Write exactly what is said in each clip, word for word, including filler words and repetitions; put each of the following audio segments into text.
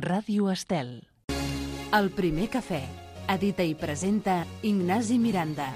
Ràdio Estel. El primer cafè. Edita i presenta Ignasi Miranda.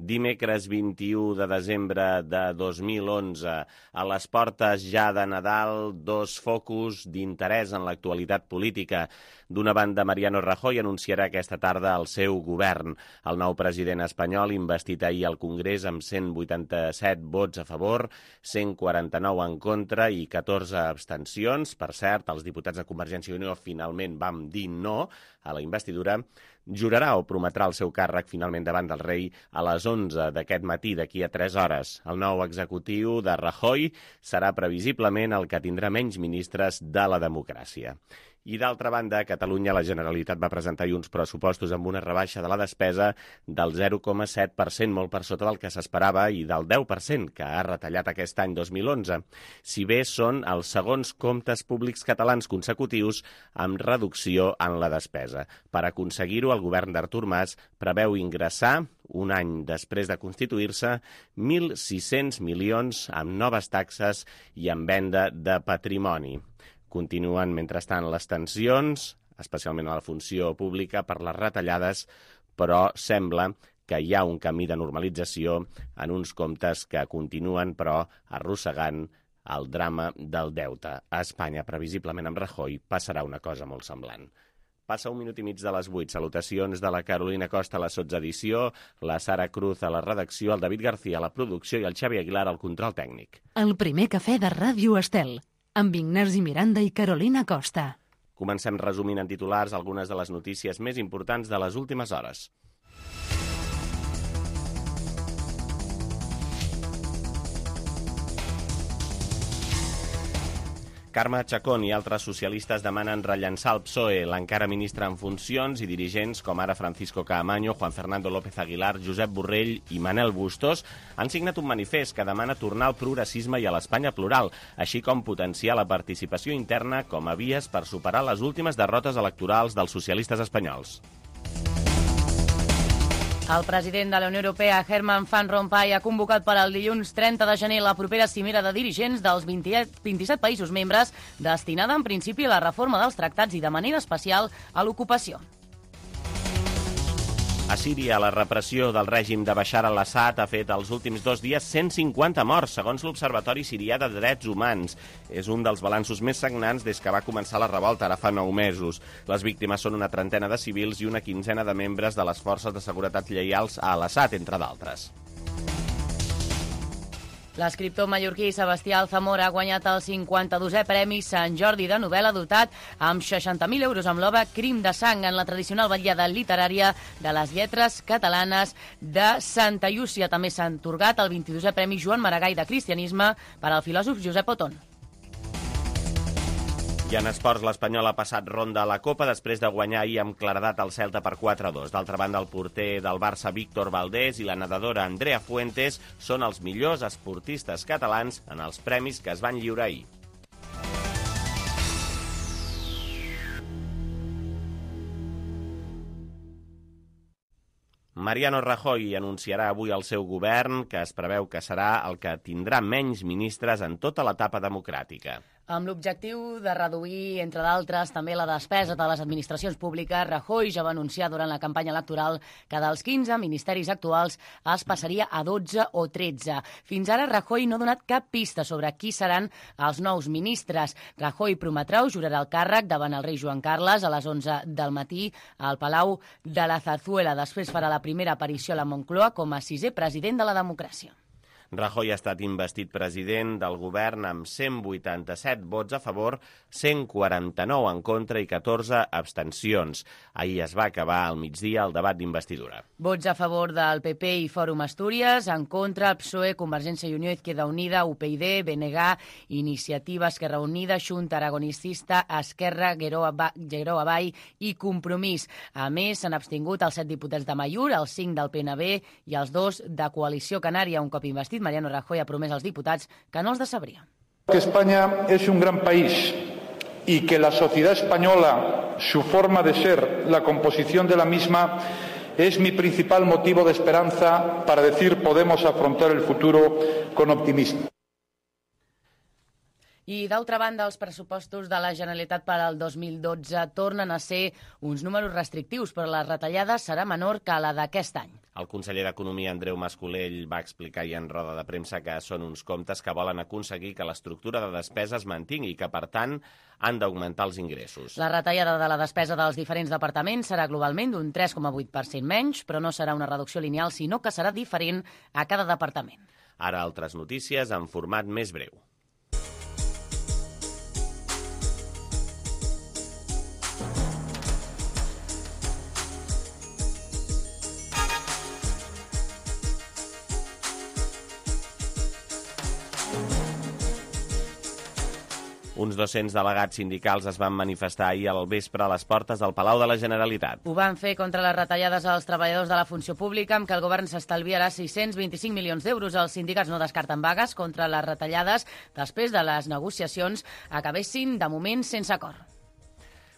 Dimecres vint-i-u de desembre de dos mil onze, a les portes ja de Nadal, dos focus d'interès en l'actualitat política. D'una banda, Mariano Rajoy anunciarà aquesta tarda el seu govern. El nou president espanyol, investit ahir al Congrés amb cent vuitanta-set vots a favor, cent quaranta-nou en contra i catorze abstencions. Per cert, els diputats de Convergència i Unió finalment vam dir no a la investidura. Jurarà o prometrà el seu càrrec finalment davant del rei a les onze d'aquest matí, d'aquí a tres hores. El nou executiu de Rajoy serà previsiblement el que tindrà menys ministres de la democràcia. I d'altra banda, a Catalunya la Generalitat va presentar uns pressupostos amb una rebaixa de la despesa del zero coma set per cent, molt per sota del que s'esperava, i del deu per cent que ha retallat aquest any dos mil onze. Si bé són els segons comptes públics catalans consecutius amb reducció en la despesa. Per aconseguir-ho, el govern d'Artur Mas preveu ingressar, un any després de constituir-se, mil sis-cents milions amb noves taxes i amb venda de patrimoni. Continuen, mentrestant, les tensions, especialment a la funció pública, per les retallades, però sembla que hi ha un camí de normalització en uns comptes que continuen, però, arrossegant el drama del deute. A Espanya, previsiblement amb Rajoy, passarà una cosa molt semblant. Passa un minut i mig de les vuit. Salutacions de la Carolina Costa a la sotsedició, la Sara Cruz a la redacció, el David García a la producció i el Xavi Aguilar al control tècnic. El primer cafè de Ràdio Estel, amb Ignasi Miranda i Carolina Costa. Comencem resumint en titulars algunes de les notícies més importants de les últimes hores. Carme Chacón i altres socialistes demanen rellançar el P S O E. L'encara ministre en funcions i dirigents com ara Francisco Caamaño, Juan Fernando López Aguilar, Josep Borrell i Manel Bustos han signat un manifest que demana tornar al progressisme i a l'Espanya plural, així com potenciar la participació interna com a vies per superar les últimes derrotes electorals dels socialistes espanyols. El president de la Unió Europea, Herman Van Rompuy, ha convocat per al dilluns trenta de gener la propera cimera de dirigents dels vint-i-set països membres, destinada en principi a la reforma dels tractats i de manera especial a l'ocupació. A Síria, la repressió del règim de Bashar al-Assad ha fet els últims dos dies cent cinquanta morts, segons l'Observatori Sirià de Drets Humans. És un dels balanços més sagnants des que va començar la revolta, ara fa nou mesos. Les víctimes són una trentena de civils i una quinzena de membres de les forces de seguretat lleials a al-Assad, entre d'altres. L'escriptor mallorquí Sebastià Alzamora ha guanyat el cinquanta-dosè Premi Sant Jordi de novel·la, dotat amb seixanta mil euros amb l'obra Crim de sang, en la tradicional vetllada literària de les lletres catalanes de Santa Llúcia. També s'ha atorgat el vint-i-dosè Premi Joan Maragall de Cristianisme per al filòsof Josep Otón. I en esports, l'Espanyol ha passat ronda a la Copa després de guanyar ahir amb claredat el Celta per quatre a dos. D'altra banda, el porter del Barça, Víctor Valdés, i la nedadora Andrea Fuentes són els millors esportistes catalans en els premis que es van lliurar ahir. Mariano Rajoy anunciarà avui el seu govern, que es preveu que serà el que tindrà menys ministres en tota l'etapa democràtica. Amb l'objectiu de reduir, entre d'altres, també la despesa de les administracions públiques, Rajoy ja va anunciar durant la campanya electoral que dels quinze ministeris actuals es passaria a dotze o tretze. Fins ara, Rajoy no ha donat cap pista sobre qui seran els nous ministres. Rajoy prometrà o jurarà el càrrec davant el rei Joan Carles a les onze del matí al Palau de la Zarzuela. Després farà la primera aparició a la Moncloa com a sisè president de la democràcia. Rajoy ha estat investit president del govern amb cent vuitanta-set vots a favor, cent quaranta-nou en contra i catorze abstencions. Ahir es va acabar al migdia el debat d'investidura. Vots a favor del P P i Fòrum Astúries, en contra P S O E, Convergència i Unió, Izquierda Unida, U P y D, B N G, Iniciativa Esquerra Unida, Xunta Aragonicista, Esquerra, Geroa Vall i Compromís. A més, s'han abstingut els set diputats de Amaiur, els cinc del P N B i els dos de Coalició Canària. Un cop investit, Mariano Rajoy ha promès als diputats que no els decebria. Que España es un gran país y que la sociedad española, su forma de ser, la composición de la misma, es mi principal motivo de esperanza para decir podemos afrontar el futuro con optimismo. I, d'altra banda, els pressupostos de la Generalitat per al dos mil dotze tornen a ser uns números restrictius, però la retallada serà menor que la d'aquest any. El conseller d'Economia, Andreu Mas-Colell, va explicar ahir en roda de premsa que són uns comptes que volen aconseguir que l'estructura de despesa es mantingui i que, per tant, han d'augmentar els ingressos. La retallada de la despesa dels diferents departaments serà globalment d'un tres coma vuit per cent menys, però no serà una reducció lineal, sinó que serà diferent a cada departament. Ara altres notícies en format més breu. Uns dos-cents delegats sindicals es van manifestar ahir al vespre a les portes del Palau de la Generalitat. Ho van fer contra les retallades als treballadors de la funció pública, amb què el govern s'estalviarà sis-cents vint-i-cinc milions d'euros. Els sindicats no descarten vagues contra les retallades després de les negociacions acabessin, de moment, sense acord.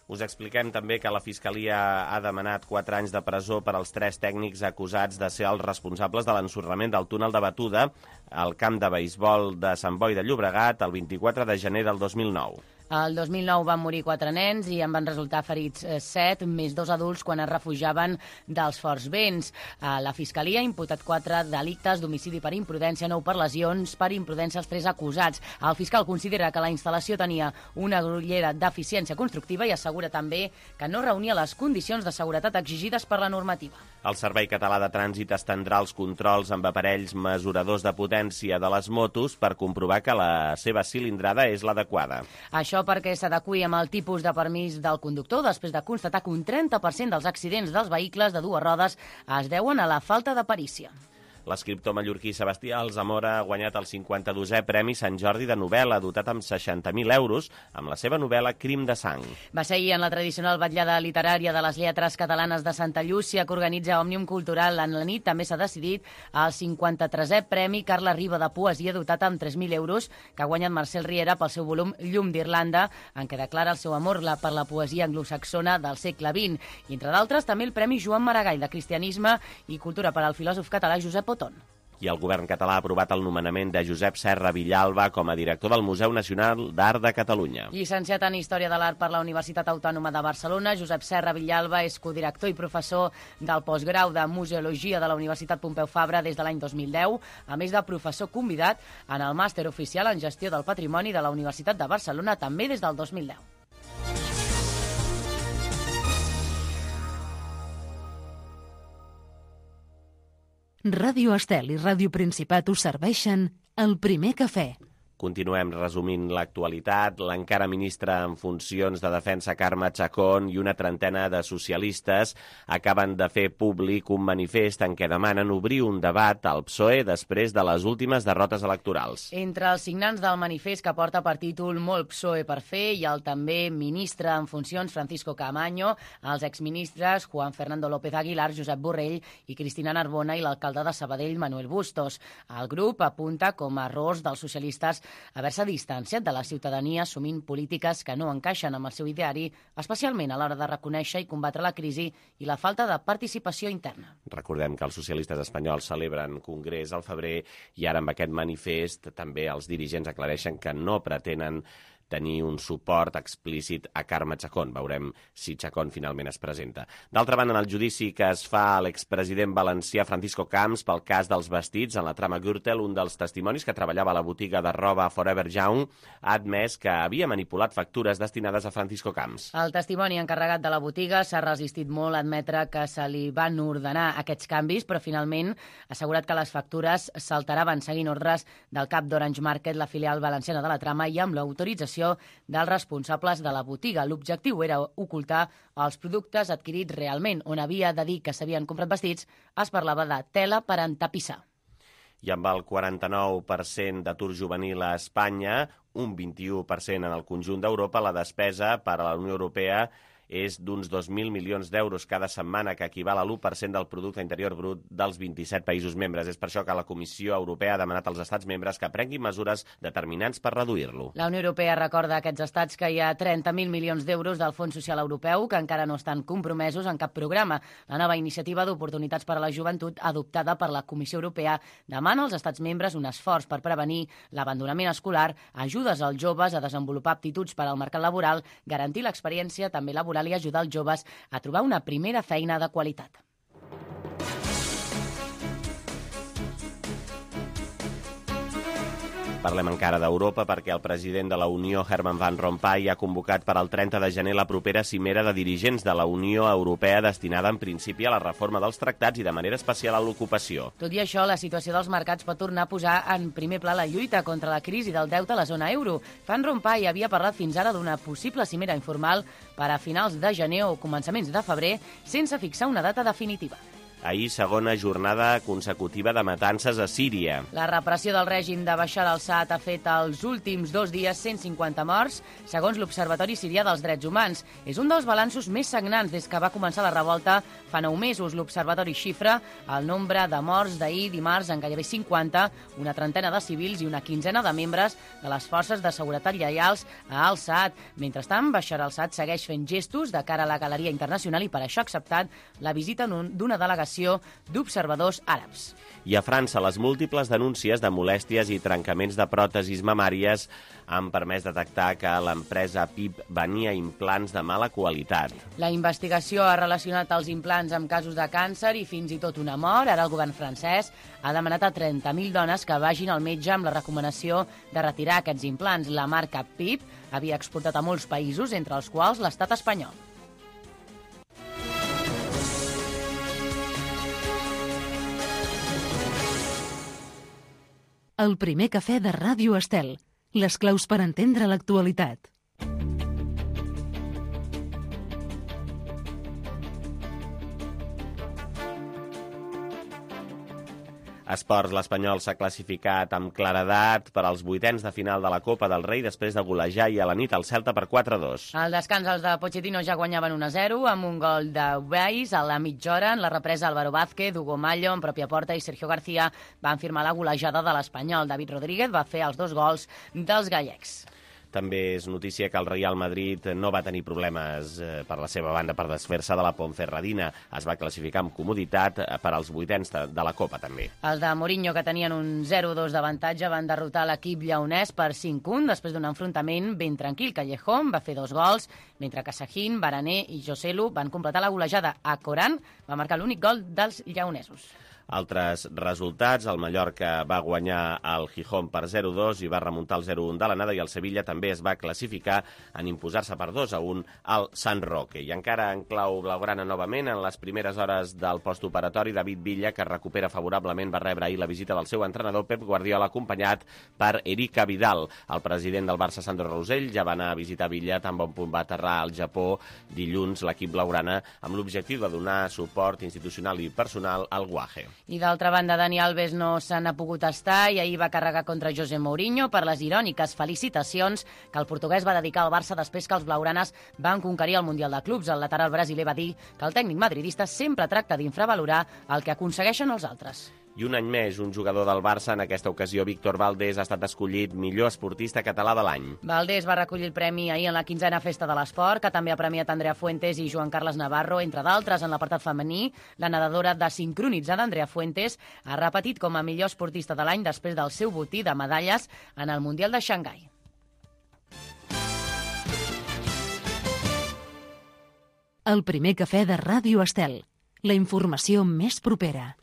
Us expliquem també que la Fiscalia ha demanat quatre anys de presó per als tres tècnics acusats de ser els responsables de l'ensorrament del túnel de batuda al camp de beisbol de Sant Boi de Llobregat el vint-i-quatre de gener del dos mil nou. El dos mil nou van morir quatre nens i en van resultar ferits set, més dos adults quan es refugiaven dels forts vents. La Fiscalia ha imputat quatre delictes d'homicidi per imprudència, nou per lesions, per imprudència els tres acusats. El fiscal considera que la instal·lació tenia una grollera deficiència constructiva i assegura també que no reunia les condicions de seguretat exigides per la normativa. El Servei Català de Trànsit estendrà els controls amb aparells mesuradors de potència de les motos per comprovar que la seva cilindrada és l'adequada. Això perquè s'adeqüi amb el tipus de permís del conductor, després de constatar que un trenta per cent dels accidents dels vehicles de dues rodes es deuen a la falta de perícia. L'escriptor mallorquí Sebastià Alsamora ha guanyat el cinquanta-dosè Premi Sant Jordi de novel·la, dotat amb seixanta mil euros, amb la seva novel·la Crim de sang. Va ser ahir en la tradicional vetllada literària de les lletres catalanes de Santa Llúcia, que organitza Òmnium Cultural. En la nit també s'ha decidit el cinquanta-tresè Premi Carla Riba de Poesia, dotat amb tres mil euros, que ha guanyat Marcel Riera pel seu volum Llum d'Irlanda, en què declara el seu amor per la poesia anglosaxona del segle vint. I, entre d'altres, també el Premi Joan Maragall de Cristianisme i Cultura per al filòsof català Josep Oton. I el govern català ha aprovat el nomenament de Josep Serra Villalba com a director del Museu Nacional d'Art de Catalunya. Llicenciat en Història de l'Art per la Universitat Autònoma de Barcelona, Josep Serra Villalba és codirector i professor del postgrau de Museologia de la Universitat Pompeu Fabra des de l'any dos mil deu, a més de professor convidat en el màster oficial en Gestió del Patrimoni de la Universitat de Barcelona, també des del dos mil deu. Ràdio Estel i Ràdio Principat us serveixen el primer cafè. Continuem resumint l'actualitat. L'encara ministra en funcions de Defensa, Carme Chacón, i una trentena de socialistes acaben de fer públic un manifest en què demanen obrir un debat al P S O E després de les últimes derrotes electorals. Entre els signants del manifest, que porta per títol Molt P S O E per fer, hi ha el també ministre en funcions Francisco Camaño, els exministres Juan Fernando López Aguilar, Josep Borrell i Cristina Narbona i l'alcalde de Sabadell, Manuel Bustos. El grup apunta com a errors dels socialistes haver-se distanciat de la ciutadania assumint polítiques que no encaixen amb el seu ideari, especialment a l'hora de reconèixer i combatre la crisi i la falta de participació interna. Recordem que els socialistes espanyols celebren congrés al febrer i ara amb aquest manifest també els dirigents aclareixen que no pretenen tenir un suport explícit a Carme Chacón. Veurem si Chacón finalment es presenta. D'altra banda, en el judici que es fa a l'expresident valencià Francisco Camps pel cas dels vestits en la trama Gürtel, un dels testimonis que treballava a la botiga de roba Forever Young ha admès que havia manipulat factures destinades a Francisco Camps. El testimoni encarregat de la botiga s'ha resistit molt a admetre que se li van ordenar aquests canvis, però finalment ha assegurat que les factures s'alteraven seguint ordres del cap d'Orange Market, la filial valenciana de la trama, i amb l'autorització dels responsables de la botiga. L'objectiu era ocultar els productes adquirits realment. On havia de dir que s'havien comprat vestits, es parlava de tela per entapissar. I amb el quaranta-nou per cent d'atur juvenil a Espanya, un vint-i-u per cent en el conjunt d'Europa, la despesa per a la Unió Europea és d'uns dos mil milions d'euros cada setmana, que equival a l'u per cent del producte interior brut dels vint-i-set països membres. És per això que la Comissió Europea ha demanat als estats membres que prenguin mesures determinants per reduir-lo. La Unió Europea recorda a aquests estats que hi ha trenta mil milions d'euros del Fons Social Europeu que encara no estan compromesos en cap programa. La nova iniciativa d'oportunitats per a la joventut adoptada per la Comissió Europea demana als estats membres un esforç per prevenir l'abandonament escolar, ajudes als joves a desenvolupar aptituds per al mercat laboral, garantir l'experiència també laboral i ajudar els joves a trobar una primera feina de qualitat. Parlem encara d'Europa perquè el president de la Unió, Herman Van Rompuy, ha convocat per al trenta de gener la propera cimera de dirigents de la Unió Europea destinada en principi a la reforma dels tractats i de manera especial a l'ocupació. Tot i això, la situació dels mercats pot tornar a posar en primer pla la lluita contra la crisi del deute a la zona euro. Van Rompuy havia parlat fins ara d'una possible cimera informal per a finals de gener o començaments de febrer sense fixar una data definitiva. Ahir, segona jornada consecutiva de matances a Síria. La repressió del règim de Bashar al-Assad ha fet els últims dos dies cent cinquanta morts, segons l'Observatori Sirià dels Drets Humans. És un dels balanços més sagnants des que va començar la revolta fa nou mesos. L'Observatori xifra el nombre de morts d'ahir dimarts en gairebé cinquanta, una trentena de civils i una quinzena de membres de les forces de seguretat lleials a al-Assad. Mentrestant, Bashar al-Assad segueix fent gestos de cara a la galeria internacional i per això ha acceptat la visita d'una delegació d'observadors àrabs. I a França, les múltiples denúncies de molèsties i trencaments de pròtesis mamàries han permès detectar que l'empresa P I P venia implants de mala qualitat. La investigació ha relacionat els implants amb casos de càncer i fins i tot una mort. Ara el govern francès ha demanat a trenta mil dones que vagin al metge amb la recomanació de retirar aquests implants. La marca P I P havia exportat a molts països, entre els quals l'estat espanyol. El primer cafè de Ràdio Estel. Les claus per entendre l'actualitat. Esports, l'Espanyol s'ha classificat amb claredat per als vuitens de final de la Copa del Rei després de golejar i a la nit el Celta per quatre a dos. Al descans, els de Pochettino ja guanyaven un a zero amb un gol de Weiss a la mitja hora. En la represa, Álvaro Vázquez, Hugo Mallo en pròpia porta i Sergio García van firmar la golejada de l'Espanyol. David Rodríguez va fer els dos gols dels gallecs. També és notícia que el Real Madrid no va tenir problemes eh, per la seva banda per desfer-se de la Ponferradina. Es va classificar amb comoditat per als vuitens de, de la Copa, també. Els de Mourinho, que tenien un zero a dos d'avantatge, van derrotar l'equip lleonès per cinc a un després d'un enfrontament ben tranquil. Callejón va fer dos gols, mentre que Sahin, Barané i Joselu van completar la golejada. A Coran va marcar l'únic gol dels lleonesos. Altres resultats, el Mallorca va guanyar el Gijón per zero a dos i va remuntar el zero a un de l'anada, i el Sevilla també es va classificar en imposar-se per dos a un al San Roque. I encara en clau blaugrana novament, en les primeres hores del postoperatori, David Villa, que recupera favorablement, va rebre ahir la visita del seu entrenador Pep Guardiola, acompanyat per Erika Vidal. El president del Barça, Sandro Rosell, ja va anar a visitar Villa, tan bon punt va aterrar al Japó dilluns l'equip blaugrana, amb l'objectiu de donar suport institucional i personal al Guaje. I d'altra banda, Dani Alves no se n'ha pogut estar i ahir va carregar contra José Mourinho per les iròniques felicitacions que el portuguès va dedicar al Barça després que els blaugranes van conquerir el Mundial de Clubs. El lateral brasiler va dir que el tècnic madridista sempre tracta d'infravalorar el que aconsegueixen els altres. I un any més, un jugador del Barça, en aquesta ocasió Víctor Valdés, ha estat escollit millor esportista català de l'any. Valdés va recollir el premi ahir en la quinzena Festa de l'Esport, que també ha premiat Andrea Fuentes i Joan Carles Navarro, entre d'altres. En l'apartat femení, la nedadora desincronitzada Andrea Fuentes ha repetit com a millor esportista de l'any després del seu botí de medalles en el Mundial de Xangai. El primer cafè de Ràdio Estel. La informació més propera.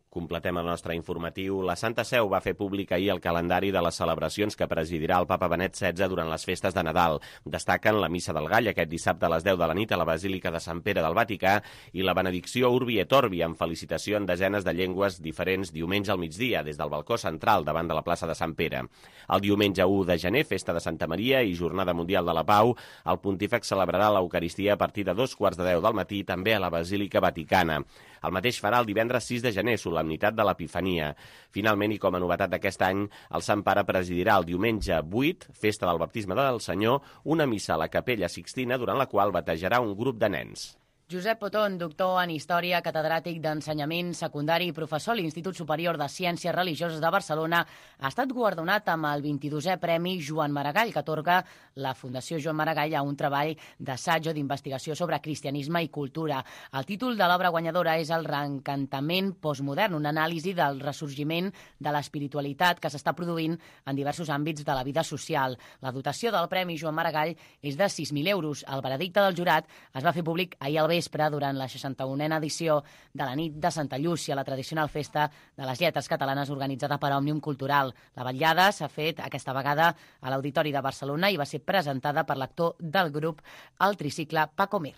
Completem el nostre informatiu. La Santa Seu va fer públic ahir el calendari de les celebracions que presidirà el Papa Benet setze durant les festes de Nadal. Destaquen la Missa del Gall aquest dissabte a les deu de la nit a la Basílica de Sant Pere del Vaticà i la benedicció Urbi et Orbi, amb felicitació en desenes de llengües diferents diumenge al migdia des del balcó central davant de la plaça de Sant Pere. El diumenge u de gener, festa de Santa Maria i Jornada Mundial de la Pau, el pontífex celebrarà l'Eucaristia a partir de dos quarts de deu del matí també a la Basílica Vaticana. El mateix farà el divendres sis de gener, solemnitat de l'Epifania. Finalment, i com a novetat d'aquest any, el Sant Pare presidirà el diumenge vuit, festa del baptisme del Senyor, una missa a la Capella Sixtina, durant la qual batejarà un grup de nens. Josep Potón, doctor en Història, catedràtic d'Ensenyament Secundari i professor a l'Institut Superior de Ciències Religioses de Barcelona, ha estat guardonat amb el vint-i-dosè Premi Joan Maragall, que atorga la Fundació Joan Maragall a un treball d'assaig o d'investigació sobre cristianisme i cultura. El títol de l'obra guanyadora és El reencantament postmodern, una anàlisi del ressorgiment de l'espiritualitat que s'està produint en diversos àmbits de la vida social. La dotació del Premi Joan Maragall és de sis mil euros. El veredicte del jurat es va fer públic ahir al vespre durant la seixanta-unena edició de la nit de Santa Llúcia, la tradicional festa de les lletres catalanes organitzada per Òmnium Cultural. La vetllada s'ha fet aquesta vegada a l'Auditori de Barcelona i va ser presentada per l'actor del grup, el tricicle Paco Mir.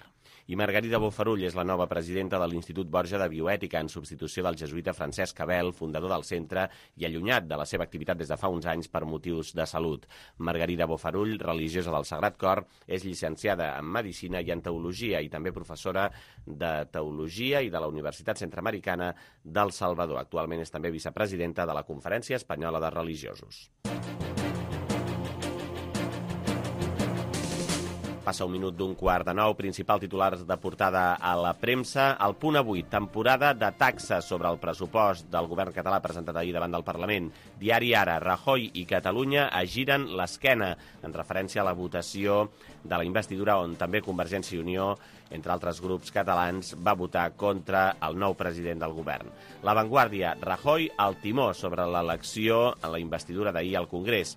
I Margarida Bofarull és la nova presidenta de l'Institut Borja de Bioètica, en substitució del jesuïta Francesc Cabel, fundador del centre i allunyat de la seva activitat des de fa uns anys per motius de salut. Margarida Bofarull, religiosa del Sagrat Cor, és llicenciada en Medicina i en Teologia i també professora de Teologia i de la Universitat Centreamericana del Salvador. Actualment és també vicepresidenta de la Conferència Espanyola de Religiosos. Passa un minut d'un quart de nou, principal titulars de portada a la premsa. El punt avui, temporada de taxes sobre el pressupost del govern català presentat ahir davant del Parlament. Diari Ara, Rajoy i Catalunya es giren l'esquena, en referència a la votació de la investidura on també Convergència i Unió, entre altres grups catalans, va votar contra el nou president del govern. La Vanguardia, Rajoy al timó sobre l'elecció en la investidura d'ahir al Congrés.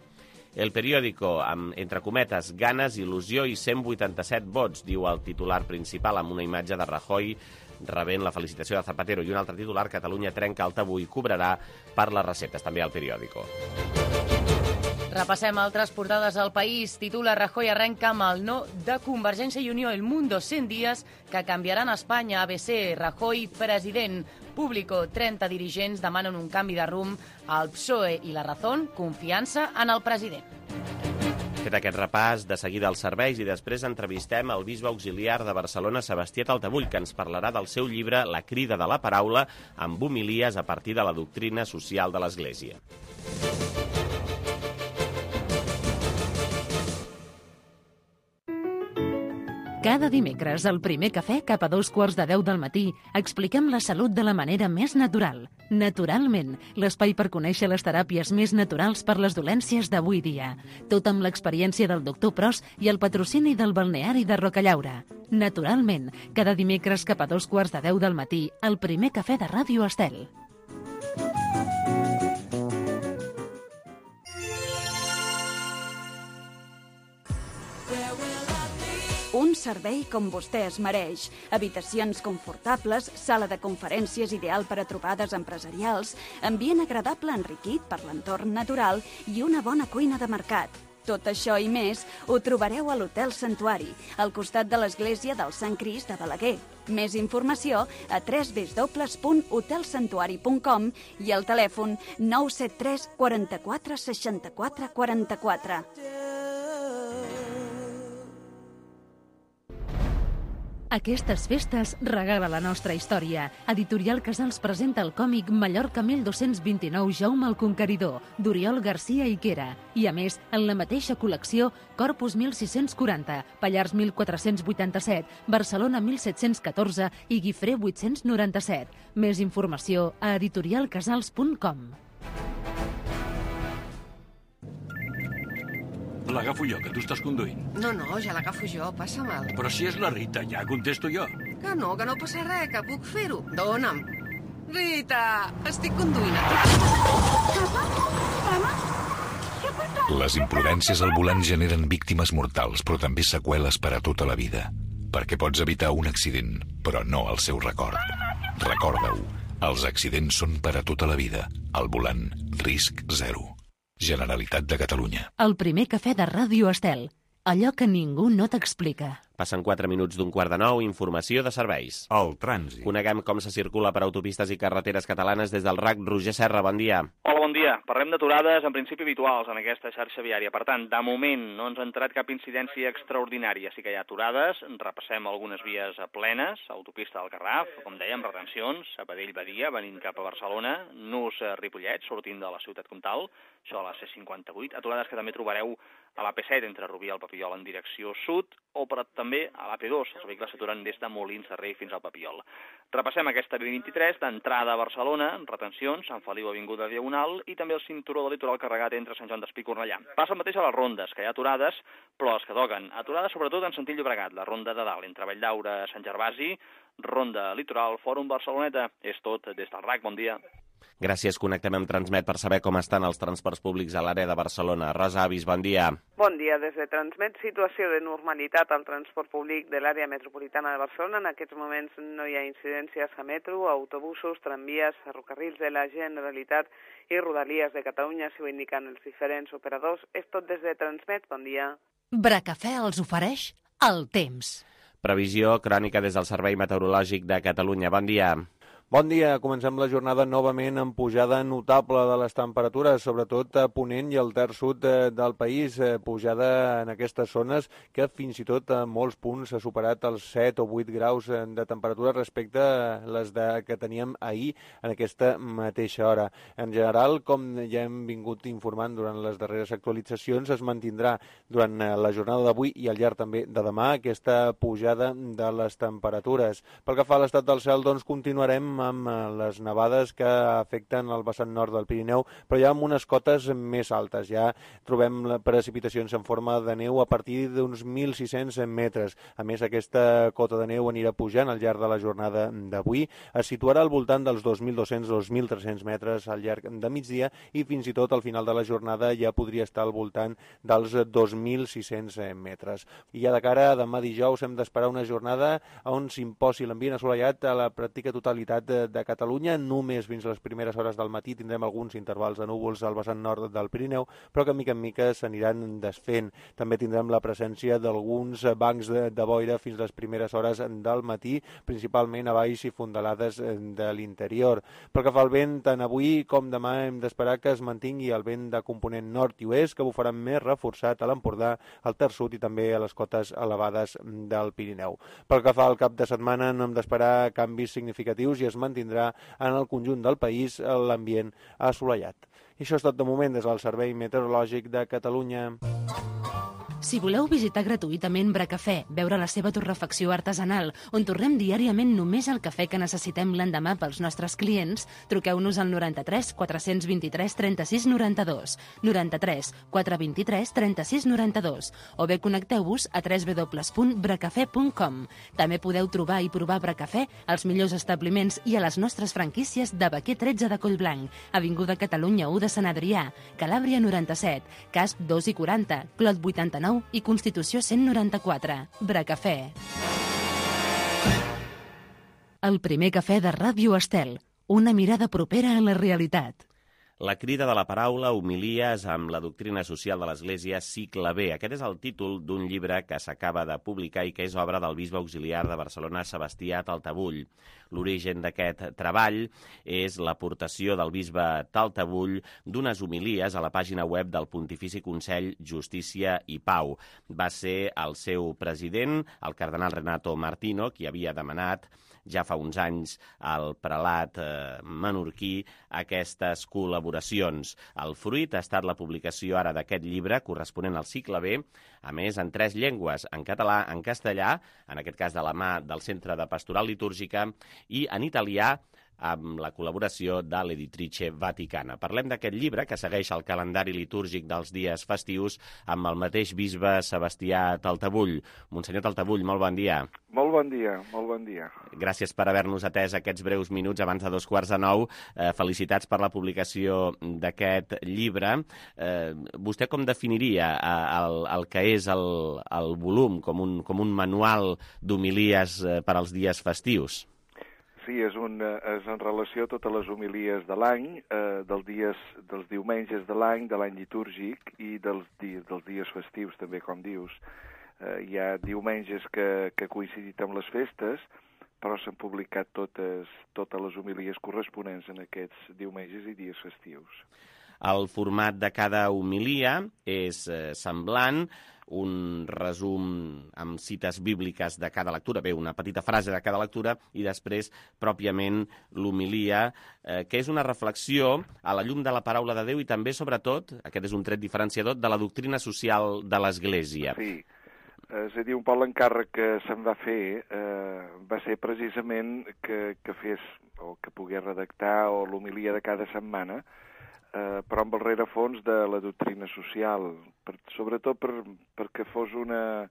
El periòdico, amb, entre cometes, ganes, il·lusió i cent vuitanta-set vots, diu el titular principal, amb una imatge de Rajoy rebent la felicitació de Zapatero. I un altre titular, Catalunya trenca el tabú i cobrarà per les receptes, també al periòdico. Repassem altres portades al país. Titula Rajoy arrenca amb el no de Convergència i Unió. El Mundo, cent dies que canviaran Espanya. A B C, Rajoy, president. Público, trenta dirigents demanen un canvi de rumb al P S O E i La Razón, confiança en el president. Fet aquest repàs, de seguida als serveis i després entrevistem el bisbe auxiliar de Barcelona, Sebastià Taltabull, que ens parlarà del seu llibre La crida de la paraula, amb homilies a partir de la doctrina social de l'Església. Cada dimecres, al primer cafè, cap a dos quarts de deu del matí, expliquem la salut de la manera més natural. Naturalment, l'espai per conèixer les teràpies més naturals per les dolències d'avui dia. Tot amb l'experiència del doctor Pros i el patrocini del balneari de Rocallaura. Naturalment, cada dimecres cap a dos quarts de deu del matí, al primer cafè de Ràdio Estel. Un servei com vostè es mereix. Habitacions confortables, sala de conferències ideal per a trobades empresarials, ambient agradable enriquit per l'entorn natural i una bona cuina de mercat. Tot això i més ho trobareu a l'Hotel Santuari, al costat de l'església del Sant Crist de Balaguer. Més informació a w w w punt hotel santuari punt com i al telèfon nou set tres quaranta-quatre seixanta-quatre quaranta-quatre. Aquestes festes regala la nostra història. Editorial Casals presenta el còmic Mallorca mil dos-cents vint-i-nou Jaume el Conqueridor, d'Oriol Garcia Higuera. I a més, en la mateixa col·lecció, Corpus mil sis-cents quaranta, Pallars mil quatre-cents vuitanta-set, Barcelona mil set-cents catorze i Guifré vuit-cents noranta-set. Més informació a editorial casals punt com. L'agafo jo, que tu estàs conduint. No, no, ja l'agafo jo, passa-me'l. Però si és la Rita, ja contesto jo. Que no, que no passa res, que puc fer-ho. Dóna'm. Rita, estic conduint. Les imprudències al volant generen víctimes mortals, però també seqüeles per a tota la vida. Perquè pots evitar un accident, però no el seu record. Recorda-ho, els accidents són per a tota la vida. Al volant, risc zero. Generalitat de Catalunya. El primer cafè de Ràdio Estel. Allò que ningú no t'explica. Passen quatre minuts d'un quart de nou, informació de serveis. El trànsit. Coneguem com se circula per autopistes i carreteres catalanes des del R A C. Roger Serra, bon dia. Hola, bon dia. Parlem d'aturades, en principi habituals, en aquesta xarxa viària. Per tant, de moment no ens ha entrat cap incidència extraordinària. Sí que hi ha aturades, repassem algunes vies plenes, autopista del Garraf, com dèiem, retencions, Sabadell-Badia, venint cap a Barcelona, Nus-Ripollet, sortint de la ciutat comtal, això a la C cinquanta-vuit, aturades que també trobareu a l'A P set entre Rubí i el Papiol en direcció sud, o per, també a l'A P dos, els vehicles s'aturen des de Molins de Rei fins al Papiol. Repassem aquesta B vint-i-tres d'entrada a Barcelona, retencions, Sant Feliu Avinguda Diagonal i també el cinturó del litoral carregat entre Sant Joan d'Espí i Cornellà. Passa el mateix a les rondes, que hi ha aturades, però les que toquen. Aturades sobretot en sentit Llobregat, la ronda de dalt, entre Valldaura, Sant Gervasi, ronda litoral, Fòrum Barceloneta. És tot des del R A C. Bon dia. Gràcies. Connectem amb Transmet per saber com estan els transports públics a l'àrea de Barcelona. Rosa Avis, bon dia. Bon dia. Des de Transmet, situació de normalitat al transport públic de l'àrea metropolitana de Barcelona. En aquests moments no hi ha incidències a metro, autobusos, tramvies, ferrocarrils de la Generalitat i Rodalies de Catalunya, si ho indiquen els diferents operadors. És tot des de Transmet. Bon dia. Bracafè els ofereix el temps. Previsió crònica des del Servei Meteorològic de Catalunya. Bon dia. Bon dia. Comencem la jornada novament amb pujada notable de les temperatures, sobretot a Ponent i al terç sud del país. Pujada en aquestes zones que fins i tot a molts punts ha superat els set o vuit graus de temperatura respecte a les de, que teníem ahir en aquesta mateixa hora. En general, com ja hem vingut informant durant les darreres actualitzacions, es mantindrà durant la jornada d'avui i al llarg també de demà aquesta pujada de les temperatures. Pel que fa a l'estat del cel, doncs continuarem amb les nevades que afecten el vessant nord del Pirineu, però ja amb unes cotes més altes. Ja trobem precipitacions en forma de neu a partir d'uns mil sis-cents metres. A més, aquesta cota de neu anirà pujant al llarg de la jornada d'avui. Es situarà al voltant dels dos mil dos-cents a dos mil tres-cents metres al llarg de migdia i fins i tot al final de la jornada ja podria estar al voltant dels dos mil sis-cents metres. I ja de cara a demà dijous hem d'esperar una jornada on s'imposi l'ambient assolellat a la pràctica totalitat de Catalunya. Només fins a les primeres hores del matí tindrem alguns intervals de núvols al vessant nord del Pirineu, però que mica en mica s'aniran desfent. També tindrem la presència d'alguns bancs de, de boira fins a les primeres hores del matí, principalment a baix i fondalades de l'interior. Pel que fa al vent, tant avui com demà hem d'esperar que es mantingui el vent de component nord i oest, que bufarà més reforçat a l'Empordà, al terç sud i també a les cotes elevades del Pirineu. Pel que fa al cap de setmana no hem d'esperar canvis significatius i es mantindrà en el conjunt del país l'ambient assolellat. I això és tot de moment des del Servei Meteorològic de Catalunya. Si voleu visitar gratuïtament Bracafè, veure la seva torrefacció artesanal, on torrem diàriament només el cafè que necessitem l'endemà pels nostres clients, truqueu-nos al noranta-tres quatre-cents vint-i-tres trenta-sis noranta-dos, noranta-tres quatre vint-i-tres trenta-sis noranta-dos, o bé connecteu-vos a w w w punt bracafè punt com. També podeu trobar i provar Bracafè als millors establiments i a les nostres franquícies de Baquer tretze de Collblanc, Avinguda Catalunya u de Sant Adrià, Calàbria noranta-set, Casp dos i quaranta, Clot vuitanta-nou i Constitució cent noranta-quatre. Bracafè. El primer cafè de Ràdio Estel. Una mirada propera a la realitat. La crida de la paraula, homilies amb la doctrina social de l'Església, cicle B. Aquest és el títol d'un llibre que s'acaba de publicar i que és obra del bisbe auxiliar de Barcelona, Sebastià Taltabull. L'origen d'aquest treball és l'aportació del bisbe Taltabull d'unes homilies a la pàgina web del Pontifici Consell Justícia i Pau. Va ser el seu president, el cardenal Renato Martino, qui havia demanat ja fa uns anys al prelat eh, menorquí aquestes col·laboracions. El fruit ha estat la publicació ara d'aquest llibre corresponent al cicle B, a més en tres llengües, en català, en castellà, en aquest cas de la mà del Centre de Pastoral Litúrgica, i en italià, amb la col·laboració de l'Editrice Vaticana. Parlem d'aquest llibre que segueix el calendari litúrgic dels dies festius amb el mateix bisbe Sebastià Taltabull. Monsenyor Taltabull, molt bon dia. Molt bon dia, molt bon dia. Gràcies per haver-nos atès aquests breus minuts abans de dos quarts de nou. Eh, felicitats per la publicació d'aquest llibre. Eh, vostè com definiria eh, el, el que és el, el volum com un, com un manual d'homilies eh, per als dies festius? Sí, és, un, és en relació a totes les homilies de l'any, eh, dels, dies, dels diumenges de l'any, de l'any litúrgic i dels, di, dels dies festius, també, com dius. eh, hi ha diumenges que, que ha coincidit amb les festes, però s'han publicat totes, totes les homilies corresponents en aquests diumenges i dies festius. El format de cada homilia és eh, semblant, un resum amb cites bíbliques de cada lectura, bé, una petita frase de cada lectura, i després, pròpiament, l'homilia, eh, que és una reflexió a la llum de la paraula de Déu i també, sobretot, aquest és un tret diferenciador, de la doctrina social de l'Església. Sí, és a dir, un poc l'encàrrec que se'm va fer eh, va ser precisament que, que fes, o que pogués redactar, o l'homilia de cada setmana, Eh, però amb el rerefons de la doctrina social, per, sobretot per, perquè fos una,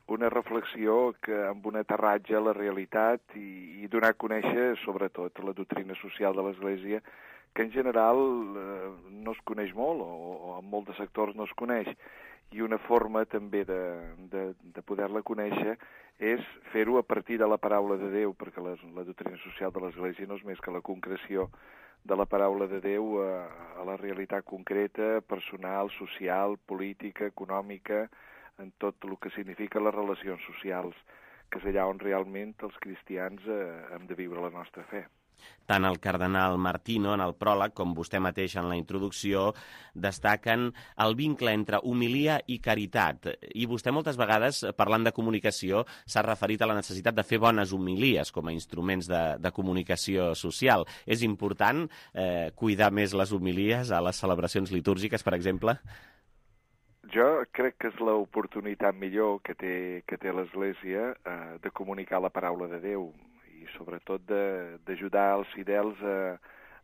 una reflexió que amb un aterratge a la realitat i, i donar a conèixer, sobretot, la doctrina social de l'Església, que en general eh, no es coneix molt, o, o en molts sectors no es coneix, i una forma també de, de, de poder-la conèixer és fer-ho a partir de la paraula de Déu, perquè la, la doctrina social de l'Església no és més que la concreció de la paraula de Déu a, a la realitat concreta, personal, social, política, econòmica, en tot el que significa les relacions socials, que és allà on realment els cristians eh, hem de viure la nostra fe. Tant el cardenal Martino, en el pròleg, com vostè mateix en la introducció, destaquen el vincle entre homilia i caritat. I vostè moltes vegades, parlant de comunicació, s'ha referit a la necessitat de fer bones homilies com a instruments de, de comunicació social. És important eh, cuidar més les homilies a les celebracions litúrgiques, per exemple? Jo crec que és l'oportunitat millor que té, que té l'Església eh, de comunicar la paraula de Déu, i sobretot d'ajudar els fidels a,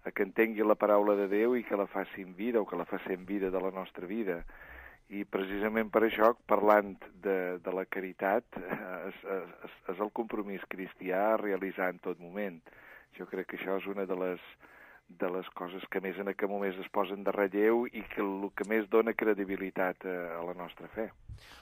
a que entenguin la paraula de Déu i que la facin vida o que la facin vida de la nostra vida. I precisament per això, parlant de, de la caritat, és, és, és el compromís cristià a realitzar en tot moment. Jo crec que això és una de les, de les coses que més en aquest moment es posen de relleu i que el que més dona credibilitat a, a la nostra fe.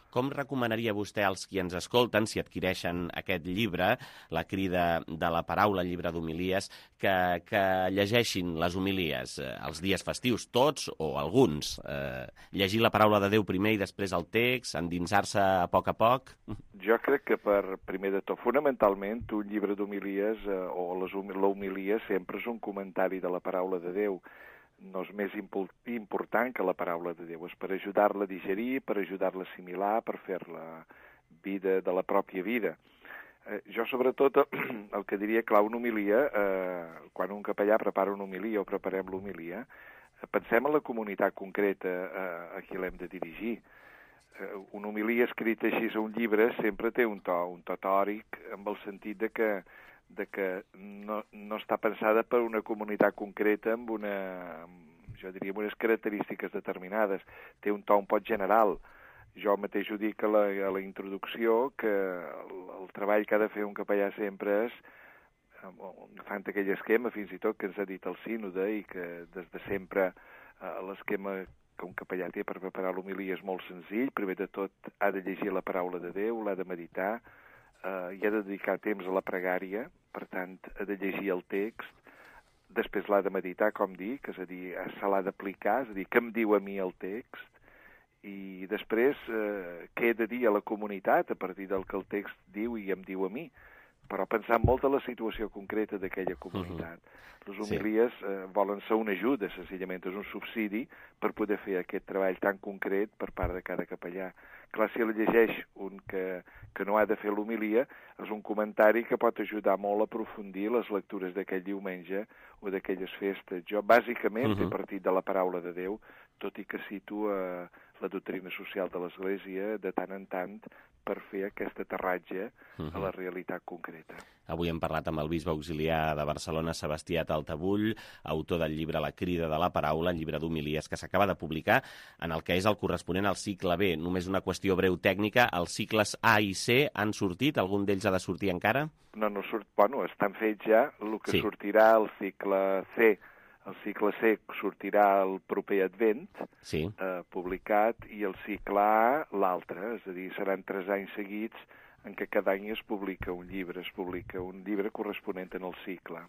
Com recomanaria vostè als qui ens escolten, si adquireixen aquest llibre, La crida de la paraula, el llibre d'homilies, que, que llegeixin les homilies eh, els dies festius, tots o alguns? Eh, llegir la paraula de Déu primer i després el text, endinsar-se a poc a poc? Jo crec que, per primer de tot, fonamentalment, un llibre d'homilies eh, o l'homilia sempre és un comentari de la paraula de Déu. No és més important que la paraula de Déu, és per ajudar-la a digerir, per ajudar-la a assimilar, per fer-la vida de la pròpia vida. Eh, jo, sobretot, el que diria, clar, una homilia, eh, quan un capellà prepara una homilia o preparem l'homilia, eh, pensem en la comunitat concreta eh, a qui l'hem de dirigir. Eh, una homilia escrita així a un llibre sempre té un to, un to tòric, amb el sentit de que de que no, no està pensada per una comunitat concreta amb una, jo diria, amb unes característiques determinades. Té un to un poc general. Jo mateix ho dic a la, a la introducció, que el, el treball que ha de fer un capellà sempre és, agafant aquell esquema fins i tot que ens ha dit el sínode i que des de sempre eh, l'esquema que un capellà té per preparar l'homilia és molt senzill. Primer de tot ha de llegir la paraula de Déu, l'ha de meditar, Uh, i ha de dedicar temps a la pregària, per tant, ha de llegir el text, després l'ha de meditar, com dic, és a dir, se l'ha d'aplicar, és a dir, què em diu a mi el text, i després uh, què he de dir a la comunitat a partir del que el text diu i em diu a mi, però pensant molt en la situació concreta d'aquella comunitat. Uh-huh. Les homilies sí. eh, volen ser una ajuda, senzillament és un subsidi per poder fer aquest treball tan concret per part de cada capellà. Clar, si el llegeix un que, que no ha de fer l'homilia, és un comentari que pot ajudar molt a aprofundir les lectures d'aquell diumenge o d'aquelles festes. Jo, bàsicament, uh-huh. he partit de la paraula de Déu, tot i que cito eh, la doctrina social de l'Església de tant en tant per fer aquest aterratge uh-huh. a la realitat concreta. Avui hem parlat amb el bisbe auxiliar de Barcelona, Sebastià Taltabull, autor del llibre La crida de la paraula, el llibre d'homilies que s'acaba de publicar, en el que és el corresponent al cicle B. Només una qüestió breu tècnica, els cicles A i C han sortit? Algun d'ells ha de sortir encara? No, no surt, bueno, estan fets ja, el que sí. sortirà el cicle C. El cicle C sortirà el proper Advent, sí. eh, publicat, i el cicle A l'altre, és a dir, seran tres anys seguits en què cada any es publica un llibre, es publica un llibre corresponent en el cicle.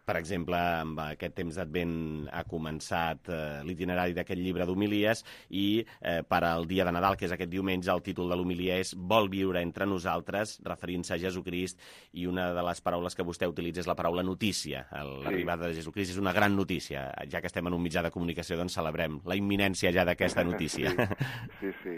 Per exemple, amb aquest temps d'Advent ha començat eh, l'itinerari d'aquest llibre d'homilies i eh, per al dia de Nadal, que és aquest diumenge, el títol de l'homilia és Vol viure entre nosaltres, referint-se a Jesucrist, i una de les paraules que vostè utilitza és la paraula notícia. L'arribada de Jesucrist és una gran notícia. Ja que estem en un mitjà de comunicació, doncs celebrem la imminència ja d'aquesta notícia. Sí, sí.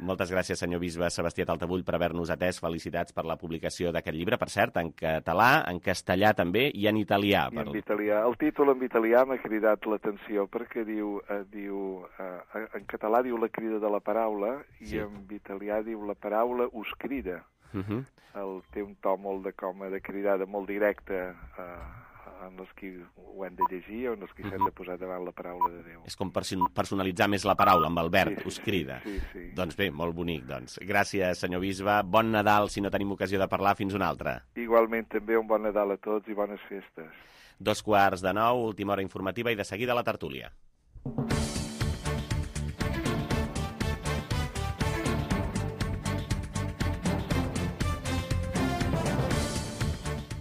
Moltes gràcies, senyor bisbe Sebastià Taltabull, per haver-nos atès. Felicitats per la publicació d'aquest llibre, per cert, en català, en castellà també i en italià. I en italià. El títol en italià m'ha cridat l'atenció perquè diu, eh, diu eh, en català diu la crida de la paraula i sí. En italià diu la paraula us crida. Uh -huh. El, té un to molt de com de cridada, molt directe eh, en els qui ho han de llegir o en els qui s'han de posar davant la paraula de Déu. És com personalitzar més la paraula, amb el verb, sí, sí, us crida. Sí, sí, sí. Doncs bé, molt bonic, doncs. Gràcies, senyor bisbe. Bon Nadal, si no tenim ocasió de parlar, fins una altra. Igualment, també un bon Nadal a tots i bones festes. Dos quarts de nou, última hora informativa i de seguida la tertúlia.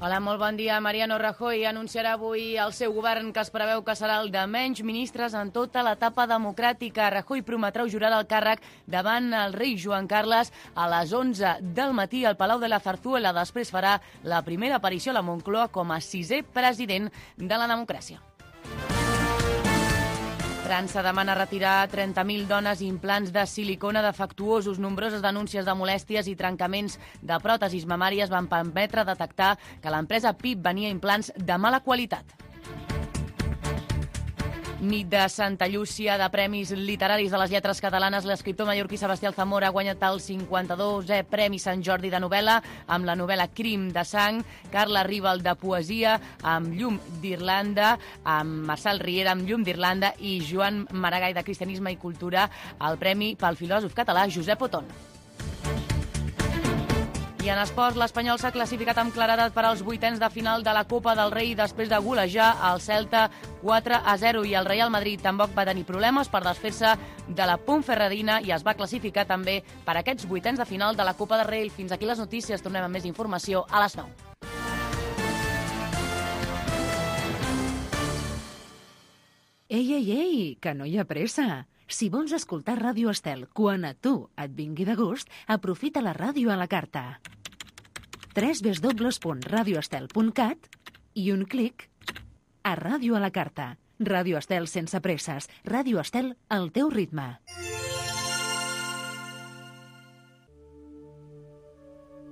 Hola, molt bon dia. Mariano Rajoy anunciarà avui el seu govern, que es preveu que serà el de menys ministres en tota l'etapa democràtica. Rajoy prometrà jurar el càrrec davant el rei Joan Carles a les onze del matí al Palau de la Zarzuela. Després farà la primera aparició a la Moncloa com a sisè president de la democràcia. França demana retirar trenta mil dones implants de silicona defectuosos. Nombroses denúncies de molèsties i trencaments de pròtesis mamàries van permetre detectar que l'empresa P I P venia implants de mala qualitat. Nit de Santa Llúcia, de Premis Literaris de les Lletres Catalanes. L'escriptor mallorquí Sebastià Alzamora ha guanyat el cinquanta-dosè Premi Sant Jordi de novel·la amb la novel·la Crim de sang, Carla Rival de poesia amb Llum d'Irlanda, amb Marçal Riera amb Llum d'Irlanda i Joan Maragall de Cristianisme i Cultura, el premi pel filòsof català Josep Oton. I en esports, l'Espanyol s'ha classificat amb claredat per als vuitens de final de la Copa del Rei després de golejar el Celta quatre a zero, i el Real Madrid tampoc va tenir problemes per desfer-se de la Ponferradina i es va classificar també per aquests vuitens de final de la Copa del Rei. Fins aquí les notícies, tornem amb més informació a les nou. Ei, ei, ei, que no hi ha pressa. Si vols escoltar Ràdio Estel quan a tu et vingui de gust, aprofita la ràdio a la carta. w w w punt radio estel punt cat i un clic a Ràdio a la carta. Ràdio Estel sense presses. Ràdio Estel al teu ritme.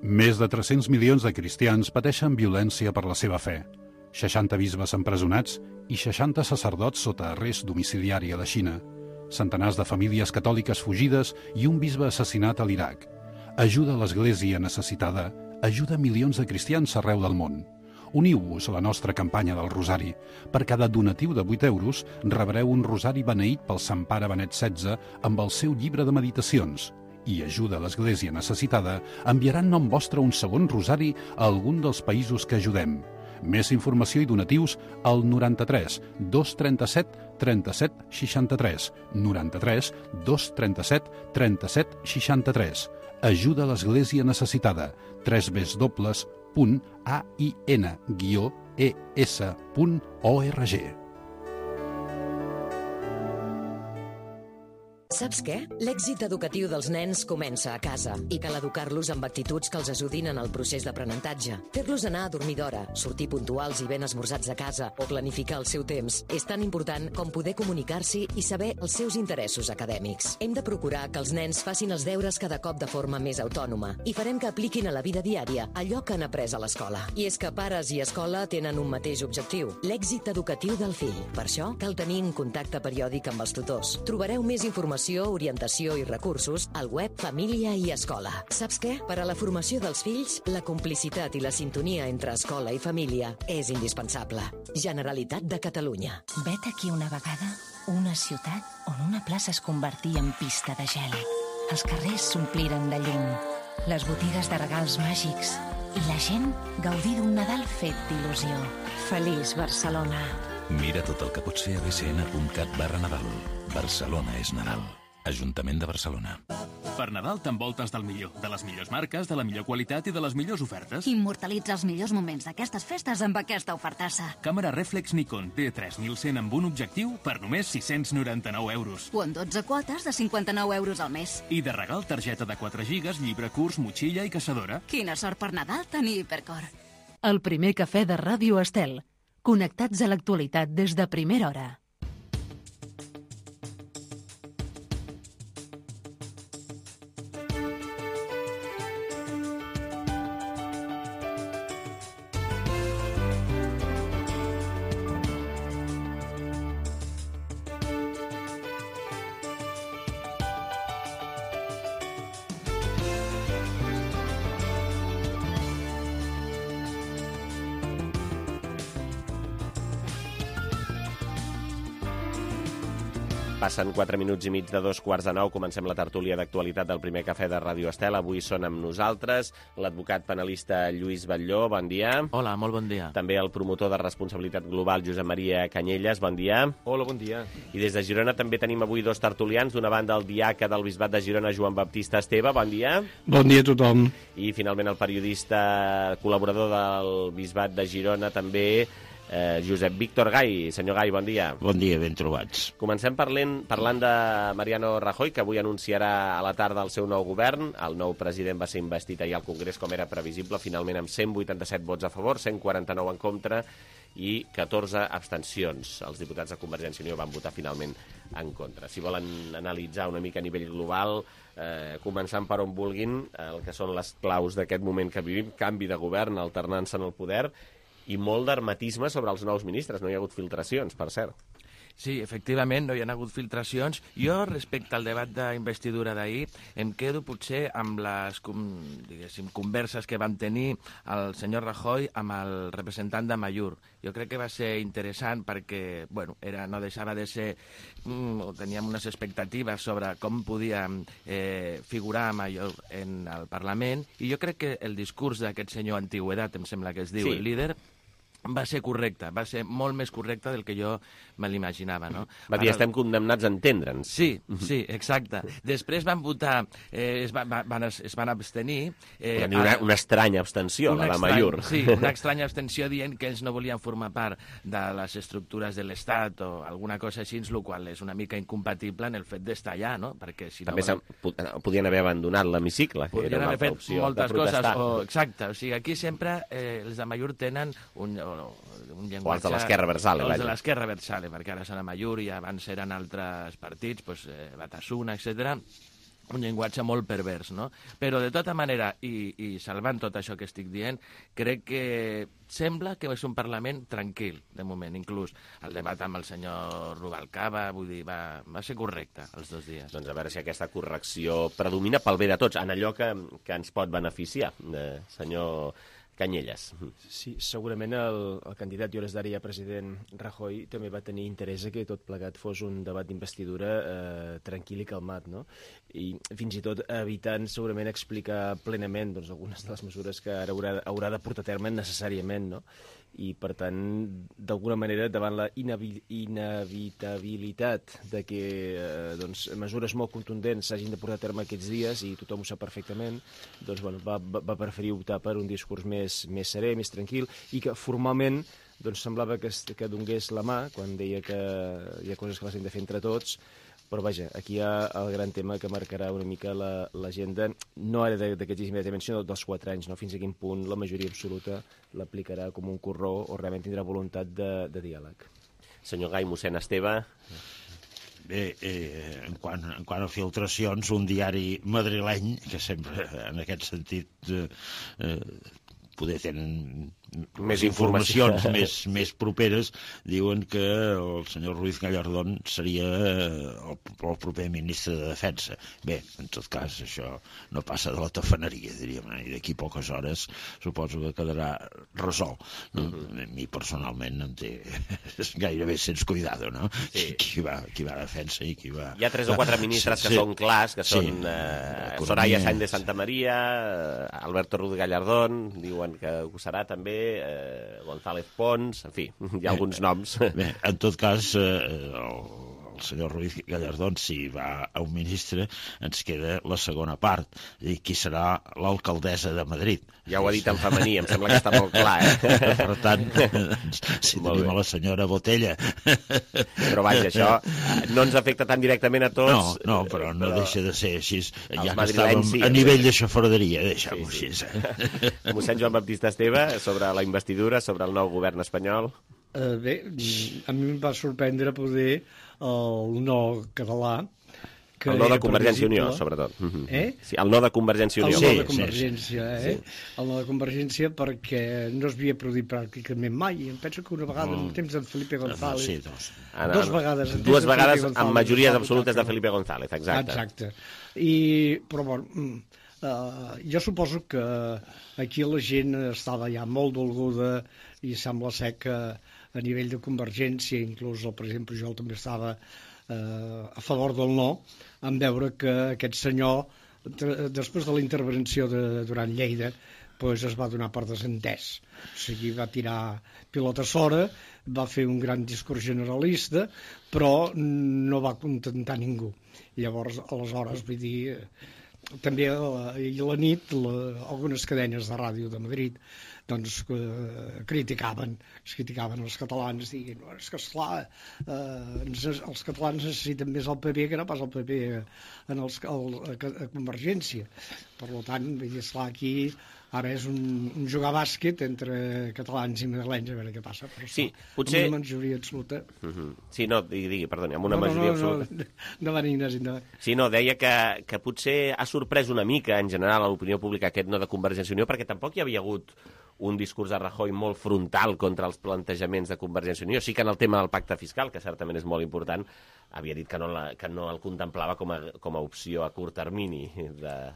Més de tres-cents milions de cristians pateixen violència per la seva fe. seixanta bisbes empresonats i seixanta sacerdots sota arrest domiciliari a la Xina. Centenars de famílies catòliques fugides i un bisbe assassinat a l'Iraq. Ajuda a l'Església necessitada, ajuda milions de cristians arreu del món. Uniu-vos a la nostra campanya del Rosari. Per cada donatiu de vuit euros rebreu un rosari beneït pel Sant Pare Benet setze amb el seu llibre de meditacions. I ajuda a l'Església necessitada enviarà en nom vostre un segon rosari a algun dels països que ajudem. Més informació i donatius al noranta-tres dos trenta-set trenta-set seixanta-tres, noranta-tres dos trenta-set trenta-set seixanta-tres. Ajuda a l'Església necessitada. w w w punt a i n guió e s punt org. Saps què? L'èxit educatiu dels nens comença a casa i cal educar-los amb actituds que els ajudin en el procés d'aprenentatge. Fer-los anar a dormir d'hora, sortir puntuals i ben esmorzats a casa o planificar el seu temps és tan important com poder comunicar-s'hi i saber els seus interessos acadèmics. Hem de procurar que els nens facin els deures cada cop de forma més autònoma i farem que apliquin a la vida diària allò que han après a l'escola. I és que pares i escola tenen un mateix objectiu, l'èxit educatiu del fill. Per això cal tenir un contacte periòdic amb els tutors. Trobareu més informació, orientació i recursos al web Família i Escola. Saps què? Per a la formació dels fills, la complicitat i la sintonia entre escola i família és indispensable. Generalitat de Catalunya. Vet aquí una vegada una ciutat on una plaça es convertia en pista de gel. Els carrers s'ompliren de llum, les botigues de regals màgics i la gent gaudí d'un Nadal fet d'il·lusió. Feliç Barcelona. Mira tot el que pot ser a b c n punt cat barra Nadal. Barcelona és Nadal. Ajuntament de Barcelona. Per Nadal t'envoltes del millor, de les millors marques, de la millor qualitat i de les millors ofertes. Immortalitza els millors moments d'aquestes festes amb aquesta ofertassa. Càmera reflex Nikon D tres mil cent amb un objectiu per només sis-cents noranta-nou euros. O en dotze quotes de cinquanta-nou euros al mes. I de regal targeta de quatre gigas, llibre curs, motxilla i caçadora. Quina sort per Nadal tenir Hipercor. El primer cafè de Ràdio Estel. Connectats a l'actualitat des de primera hora. Passen quatre minuts i mig de dos quarts de nou. Comencem la tertúlia d'actualitat del primer cafè de Ràdio Estel. Avui són amb nosaltres l'advocat penalista Lluís Batlló. Bon dia. Hola, molt bon dia. També el promotor de responsabilitat global Josep Maria Canyelles. Bon dia. Hola, bon dia. I des de Girona també tenim avui dos tertulians. D'una banda el diaca del Bisbat de Girona, Joan Baptista Esteve. Bon dia. Bon dia a tothom. I finalment el periodista col·laborador del Bisbat de Girona també, Eh, Josep Víctor Gai. Senyor Gai, bon dia. Bon dia, ben trobats. Comencem parlant, parlant de Mariano Rajoy, que avui anunciarà a la tarda el seu nou govern. El nou president va ser investit ahir al Congrés, com era previsible, finalment amb cent vuitanta-set vots a favor, cent quaranta-nou en contra i catorze abstencions. Els diputats de Convergència i Unió van votar finalment en contra. Si volen analitzar una mica a nivell global, eh, començant per on vulguin, el que són les claus d'aquest moment que vivim, canvi de govern, alternança en el poder, i molt d'hermetisme sobre els nous ministres. No hi ha hagut filtracions, per cert. Sí, efectivament, no hi ha hagut filtracions. Jo, respecte al debat d'investidura d'ahir, em quedo potser amb les, diguéssim, converses que van tenir el senyor Rajoy amb el representant de Amaiur. Jo crec que va ser interessant perquè, bueno, era, no deixava de ser... Mm, teníem unes expectatives sobre com podia eh, figurar Amaiur en el Parlament, i jo crec que el discurs d'aquest senyor Antigüedat, em sembla que es diu, sí. El líder, va ser correcte, va ser molt més correcte del que jo me l'imaginava, no? Va dir, estem condemnats a entendre'ns. Sí, sí, exacte. Després van votar, eh, es, va, van, es van abstenir... Eh, una, una estranya abstenció, la d'Amaiur. Sí, una estranya abstenció dient que ells no volien formar part de les estructures de l'Estat o alguna cosa així, el qual és una mica incompatible en el fet d'estar allà, no? Perquè si També no volen... podien haver abandonat l'hemicicle. Podien haver fet moltes coses. O, exacte, o sigui, aquí sempre eh, els d'Amaiur tenen un... un llenguatge... O els de l'Esquerra Versale. Els de l'Esquerra Versale, perquè ara són Amaiur i abans eren altres partits, doncs, eh, Batasuna, etcètera. Un llenguatge molt pervers, no? Però, de tota manera, i, i salvant tot això que estic dient, crec que sembla que és un Parlament tranquil, de moment, inclús el debat amb el senyor Rubalcaba, vull dir, va, va ser correcte els dos dies. Doncs a veure si aquesta correcció predomina pel bé de tots, en allò que, que ens pot beneficiar, eh, senyor Canyelles. Sí, segurament el, el candidat i hores d'ara ja president Rajoy també va tenir interès que tot plegat fos un debat d'investidura eh, tranquil i calmat, no? I fins i tot evitant segurament explicar plenament doncs, algunes de les mesures que ara haurà, haurà de portar a terme necessàriament, no? I, per tant, d'alguna manera, davant la inevi inevitabilitat de que eh, doncs, mesures molt contundents s'hagin de portar a terme aquests dies, i tothom ho sap perfectament, doncs, bueno, va, va preferir optar per un discurs més, més serè, més tranquil, i que formalment doncs, semblava que, que donés la mà quan deia que hi ha coses que les hem de fer entre tots. Però vaja, aquí hi ha el gran tema que marcarà una mica l'agenda, no ara d'aquests immediatament, sinó dels quatre anys, no? Fins a quin punt la majoria absoluta l'aplicarà com un corró o realment tindrà voluntat de, de diàleg. Senyor Gai, mossèn Esteve... Bé, eh, en, quant, en quant a filtracions, un diari madrileny, que sempre en aquest sentit eh, eh, poder tenen més informacions més, més properes, diuen que el senyor Ruiz Gallardón seria el, el proper ministre de Defensa. Bé, en tot cas, això no passa de la tafaneria, diríem, i d'aquí a poques hores suposo que quedarà resolt. No? Uh-huh. A mi, personalment, em té gairebé sense cuidado, no? Sí. Qui, va, qui va a Defensa i qui va... Hi ha tres o quatre ministres sí, que sí. són clars, que sí. són eh, Soraya Sáenz de Santa María, Alberto Ruiz Gallardón, diuen que ho serà també, eh, González Pons, en fi, hi ha alguns noms. Bé, en tot cas, eh, el, el senyor Ruiz Gallardón, si va a un ministre, ens queda la segona part, i qui serà l'alcaldessa de Madrid. Ja ho ha dit en femení, em sembla que està molt clar, eh? Per tant, si tenim a la senyora Botella... Però vaja, això no ens afecta tan directament a tots. No, no, però no però... deixa de ser així. Ja que estàvem sí, a nivell de xafarderia, deixem-ho sí, sí. així. Eh? Mossèn Joan Baptista Esteve, sobre la investidura, sobre el nou govern espanyol... Uh, bé, a mi em va sorprendre poder el no català, que el no de Convergència i Unió, sobretot. Eh? Sí, el no de Convergència i Unió. El no de Convergència, sí, sí. eh? El no de Convergència perquè no es havia produït pràcticament mai. Em penso que una vegada en temps d'en Felipe González... Sí, dos. Ah, dos vegades. Dues vegades amb majories absolutes de Felipe González, exacte. Exacte. I, però, bueno, uh, jo suposo que aquí la gent estava ja molt dolguda i sembla ser que a nivell de Convergència, inclús el president Pujol també estava eh, a favor del no, en veure que aquest senyor, després de la intervenció de Duran Lleida, pues es va donar per desentès. O sigui, va tirar pilota fora, va fer un gran discurs generalista, però no va contentar ningú. I llavors, aleshores, vull dir, també ahir a la nit, la, algunes cadenes de ràdio de Madrid doncs eh, criticaven, es criticaven els catalans, dient, és que esclar, eh, els catalans necessiten més el P P que no pas el P P en els, el, a, a Convergència. Per tant, vull dir, esclar, aquí ara és un, un jugar bàsquet entre catalans i madrilenys, a veure què passa. Però sí, potser... amb una majoria absoluta... Uh -huh. Sí, no, digui, digui, perdoni, amb una no, no, majoria no, absoluta... No, no, no, Ignasi, no. Sí, no, deia que, que potser ha sorprès una mica, en general, a l'opinió pública aquest no de Convergència i Unió, perquè tampoc hi havia hagut un discurs de Rajoy molt frontal contra els plantejaments de Convergència i Unió. Sí que en el tema del pacte fiscal, que certament és molt important, havia dit que no, la, que no el contemplava com a, com a opció a curt termini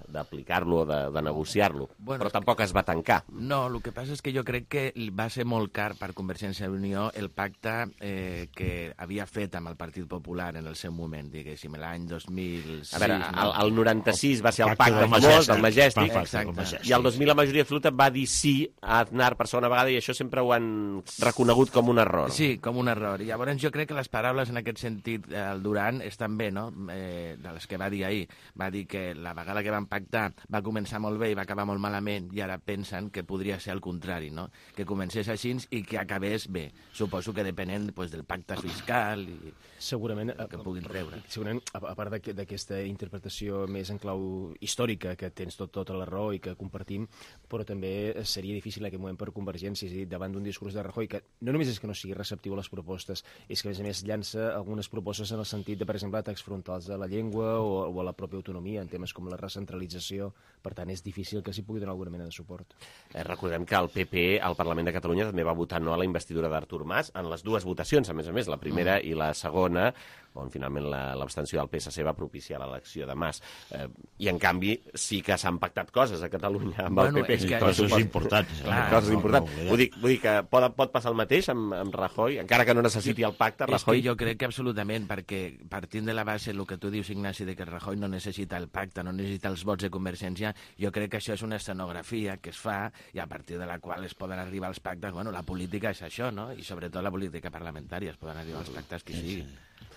d'aplicar-lo o de, de negociar-lo. Bueno, però tampoc es va tancar. No, el que passa és que jo crec que va ser molt car per Convergència i Unió el pacte eh, que havia fet amb el Partit Popular en el seu moment, diguéssim, l'any dos mil sis. A veure, no? el, el noranta-sis va ser el pacte famós del Majestic, exacte. I el dos mil la majoria absoluta va dir sí a Aznar per segona vegada i això sempre ho han reconegut com un error. Sí, com un error. I llavors jo crec que les paraules en aquest sentit, el Duran, estan bé, no? Eh, de les que va dir ahir. Va dir que la vegada que van pactar va començar molt bé i va acabar molt malament i ara pensen que podria ser el contrari, no? Que comencés així i que acabés bé. Suposo que depenent pues, del pacte fiscal i segurament que puguin treure. Segurament, a part d'aquesta interpretació més en clau històrica, que tens tot, tota la raó i que compartim, però també seria difícil en aquest moment per Convergència, és a dir, davant d'un discurs de Rajoy que no només és que no sigui receptiu a les propostes, és que a més a més llança algunes propostes en el sentit de, per exemple, atacs frontals a la llengua o, o a la pròpia autonomia en temes com la recentralització. Per tant, és difícil que s'hi pugui donar alguna mena de suport. Eh, recordem que el P P al Parlament de Catalunya també va votar no a la investidura d'Artur Mas en les dues votacions, a més a més, la primera mm. i la segona, on finalment l'abstenció del P S C va propiciar l'elecció de Mas. Eh, I, en canvi, sí que s'han pactat coses a Catalunya amb bueno, el P P. És que coses importants. Clar, coses importants. No, vull, dir, vull dir que pot, pot passar el mateix amb, amb Rajoy, encara que no necessiti el pacte, Rajoy... És que jo crec que absolutament, perquè partint de la base, el que tu dius, Ignasi, de que Rajoy no necessita el pacte, no necessita els vots de Convergència, jo crec que això és una escenografia que es fa i a partir de la qual es poden arribar als pactes. Bueno, la política és això, no? I sobretot la política parlamentària, es poden arribar als pactes que sigui.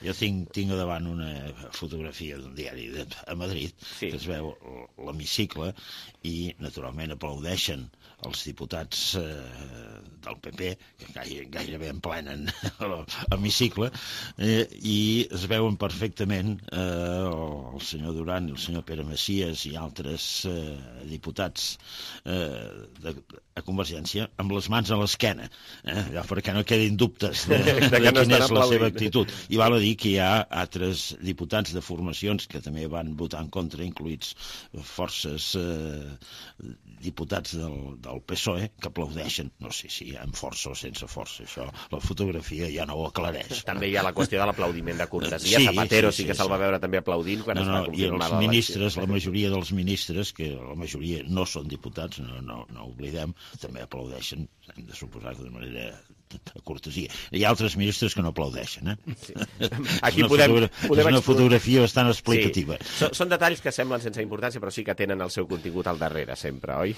Jo tinc, tinc davant una fotografia d'un diari de, a Madrid, sí. que es veu l'hemicicle i, naturalment, aplaudeixen els diputats eh, del P P, que gaire, gairebé emplenen l'hemicicle, eh, i es veuen perfectament eh, el senyor Duran i el senyor Pere Macias i altres eh, diputats eh, de, a Convergència amb les mans a l'esquena, eh, ja perquè no quedin dubtes de, de, de quina és la seva actitud. I val a dir que hi ha altres diputats de formacions que també van votar en contra, incluïts forces eh, diputats del, del P S O E, que aplaudeixen, no sé si amb força o sense força, això la fotografia ja no ho aclareix. També hi ha la qüestió de l'aplaudiment de cortesia, sí, Zapatero sí, sí, sí que se'l va veure també aplaudint quan no, es va no, confirmar l'elecció. I els ministres, la majoria dels ministres, que la majoria no són diputats, no, no, no oblidem, també aplaudeixen, hem de suposar de manera de cortesia. Hi ha altres ministres que no aplaudeixen, eh? Sí. Aquí és una, podem, fotogra podem és una fotografia bastant explicativa. Sí. Són, són detalls que semblen sense importància, però sí que tenen el seu contingut al darrere, sempre, oi?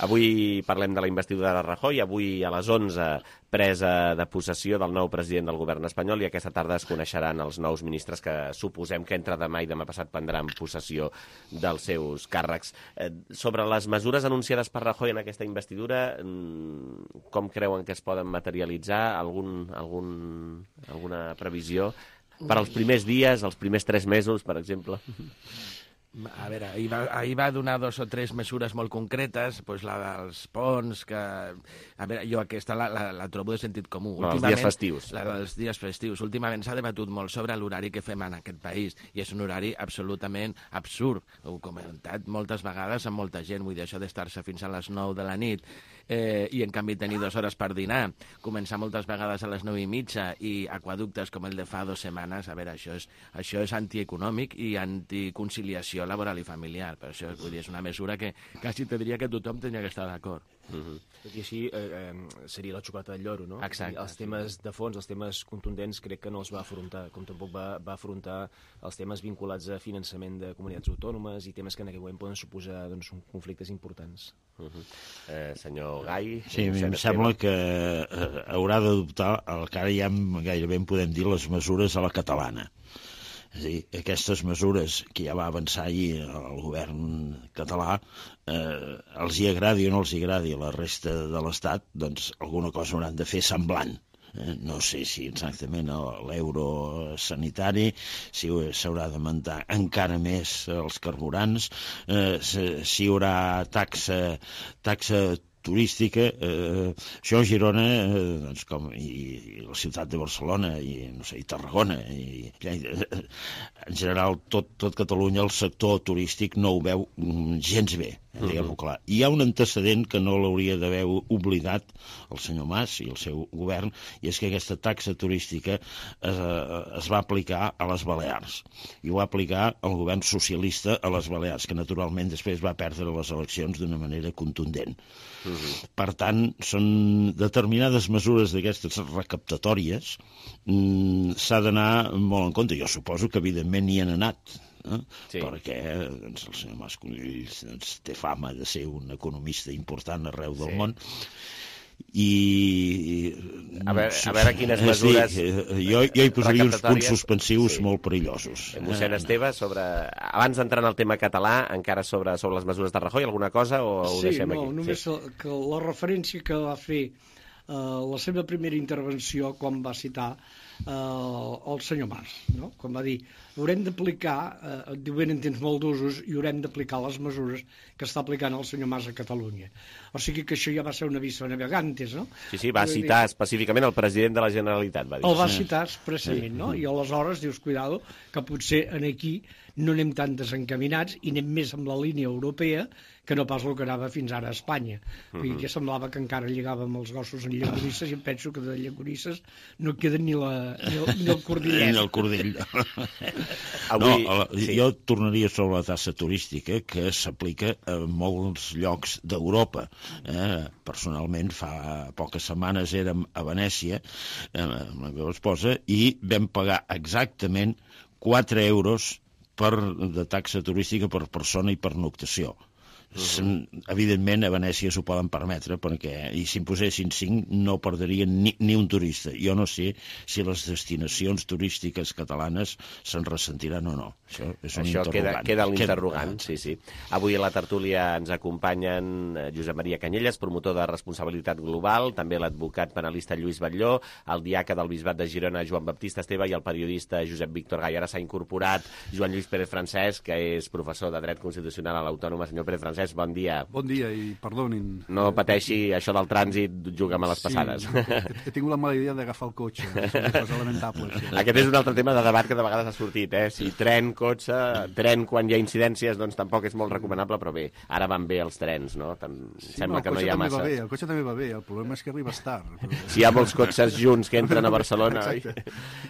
Avui parlem de la investidura de Rajoy, avui a les onze presa de possessió del nou president del govern espanyol, i aquesta tarda es coneixeran els nous ministres que suposem que entre demà i demà passat prendran possessió dels seus càrrecs. Eh, sobre les mesures anunciades per Rajoy en aquesta investidura, com creuen que es poden materialitzar? Algun, algun, alguna previsió? Per als primers dies, els primers tres mesos, per exemple? A veure, ahir va, ahir va donar dos o tres mesures molt concretes, doncs la dels ponts, que... A veure, jo aquesta la, la, la trobo de sentit comú. No, els dies festius. La dels dies festius. Últimament s'ha debatut molt sobre l'horari que fem en aquest país, i és un horari absolutament absurd. Ho he comentat moltes vegades amb molta gent, vull dir, això d'estar-se fins a les nou de la nit, eh, i en canvi tenir dues hores per dinar, començar moltes vegades a les nou i mitja, i aquaductes com el de fa dues setmanes, a veure, això és, això és antieconòmic i anticonciliació laboral i familiar. Per això, vull dir, és una mesura que quasi te diria que tothom tenia que estar d'acord. Uh-huh. Tot i així, eh, eh, seria la xocolata del lloro, no? Exacte. Els temes de fons, els temes contundents, crec que no els va afrontar, com tampoc va, va afrontar els temes vinculats a finançament de comunitats autònomes i temes que en aquest moment poden suposar doncs, conflictes importants. Uh-huh. eh, senyor Gai... Sí, a mi em sembla que eh, haurà d'adoptar el que ara ja gairebé en podem dir les mesures a la catalana. És a dir, aquestes mesures que ja va avançar ahir el govern català, eh, els hi agradi o no els hi agradi a la resta de l'Estat, doncs alguna cosa hauran de fer semblant. Eh, no sé si exactament l'euro sanitari, si s'haurà de mantenir encara més els carburants, eh, si hi haurà taxa, taxa turística, eh, això a Girona, eh, doncs com, i, i la ciutat de Barcelona, i, no sé, i Tarragona, i, i eh, en general tot, tot Catalunya, el sector turístic no ho veu gens bé, eh, diguem-ho clar. Hi ha un antecedent que no l'hauria d'haver oblidat el senyor Mas i el seu govern, i és que aquesta taxa turística es, es va aplicar a les Balears, i ho va aplicar el govern socialista a les Balears, que naturalment després va perdre les eleccions d'una manera contundent. Uh-huh. Per tant, són determinades mesures d'aquestes recaptatòries, mmm, s'ha d'anar molt en compte. Jo suposo que evidentment hi han anat, eh? Sí. Perquè doncs, el senyor Mas Colell doncs, té fama de ser un economista important arreu del sí. món, i a veure, a veure quines mesures sí, jo, jo hi posaria uns punts suspensius sí. molt perillosos. Mossèn Esteve, sobre... abans d'entrar en el tema català, encara sobre, sobre les mesures de Rajoy, alguna cosa o ho sí, deixem no, aquí? Només sí, només que la referència que va fer eh, la seva primera intervenció quan va citar eh, el senyor Mas, no? Quan va dir haurem d'aplicar, eh, diu ben entens molt d'usos, i haurem d'aplicar les mesures que està aplicant el senyor Mas a Catalunya. O sigui que això ja va ser una vista navegantes, no? Sí, sí, va citar específicament el president de la Generalitat, va dir. El va citar expressament, no? I aleshores dius, cuidado, que potser aquí no anem tan desencaminats i anem més amb la línia europea que no pas el que anava fins ara a Espanya. Uh-huh. I que semblava que encara lligàvem els gossos en llagonisses, i em penso que de llagonisses no queda ni, la, ni, el, ni el cordillet. Ni el cordill. Avui, no, sí. Jo tornaria sobre la tassa turística, que s'aplica a molts llocs d'Europa. Eh, personalment, fa poques setmanes érem a Venècia eh, amb la meva esposa i vam pagar exactament quatre euros per, de taxa turística per persona i per noctació. Uh-huh. Evidentment a Venècia s'ho poden permetre perquè, i si en posessin cinc no perdrien ni, ni un turista. Jo no sé si les destinacions turístiques catalanes se'n ressentiran o no. Això és un Això interrogant. Queda, queda l'interrogant, sí, sí. Avui a la tertúlia ens acompanyen Josep Maria Canyelles, promotor de responsabilitat global, també l'advocat penalista Lluís Batlló, el diaca del Bisbat de Girona Joan Baptista Esteve i el periodista Josep Víctor Gai. Ara s'ha incorporat Joan Lluís Pérez Francesc, que és professor de Dret Constitucional a l'Autònoma. Senyor Pérez Francesc, bon dia. Bon dia i perdonin. No pateixi, això del trànsit juga amb les passades. Sí, he, he tingut la mala idea d'agafar el cotxe. És una cosa lamentable. Això. Aquest és un altre tema de debat que de vegades ha sortit, eh? Si tren, cotxe, tren quan hi ha incidències, doncs tampoc és molt recomanable, però bé, ara van bé els trens, no? Tant... Sí, Sembla no, que no hi ha massa. Bé, el cotxe també va bé, el problema és que arribes tard. Però... Si hi ha molts cotxes junts que entren a Barcelona, oi?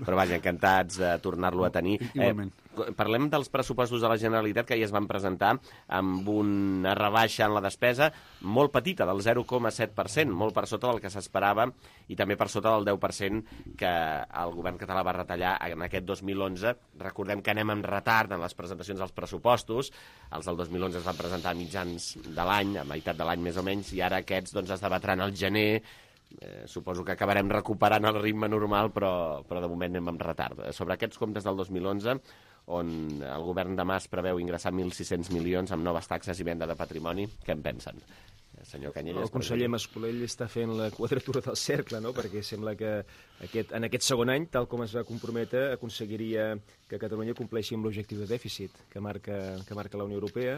Però vaja, encantats de tornar-lo a tenir. Igualment. Eh, parlem dels pressupostos de la Generalitat que ja es van presentar amb una rebaixa en la despesa molt petita, del zero coma set per cent, molt per sota del que s'esperava i també per sota del deu per cent que el govern català va retallar en aquest dos mil onze. Recordem que anem amb retard en les presentacions dels pressupostos. Els del dos mil onze es van presentar a mitjans de l'any, a meitat de l'any més o menys, i ara aquests doncs, es debatran al gener. Eh, suposo que acabarem recuperant el ritme normal, però, però de moment anem amb retard. Sobre aquests comptes del dos mil onze, on el govern de Mas preveu ingressar mil sis-cents milions amb noves taxes i venda de patrimoni, què en pensen? Senyor Canyelles, el conseller Mascolell està fent la quadratura del cercle, no? Perquè sembla que aquest, en aquest segon any, tal com es va comprometre, aconseguiria que Catalunya compleixi amb l'objectiu de dèficit que marca, que marca la Unió Europea,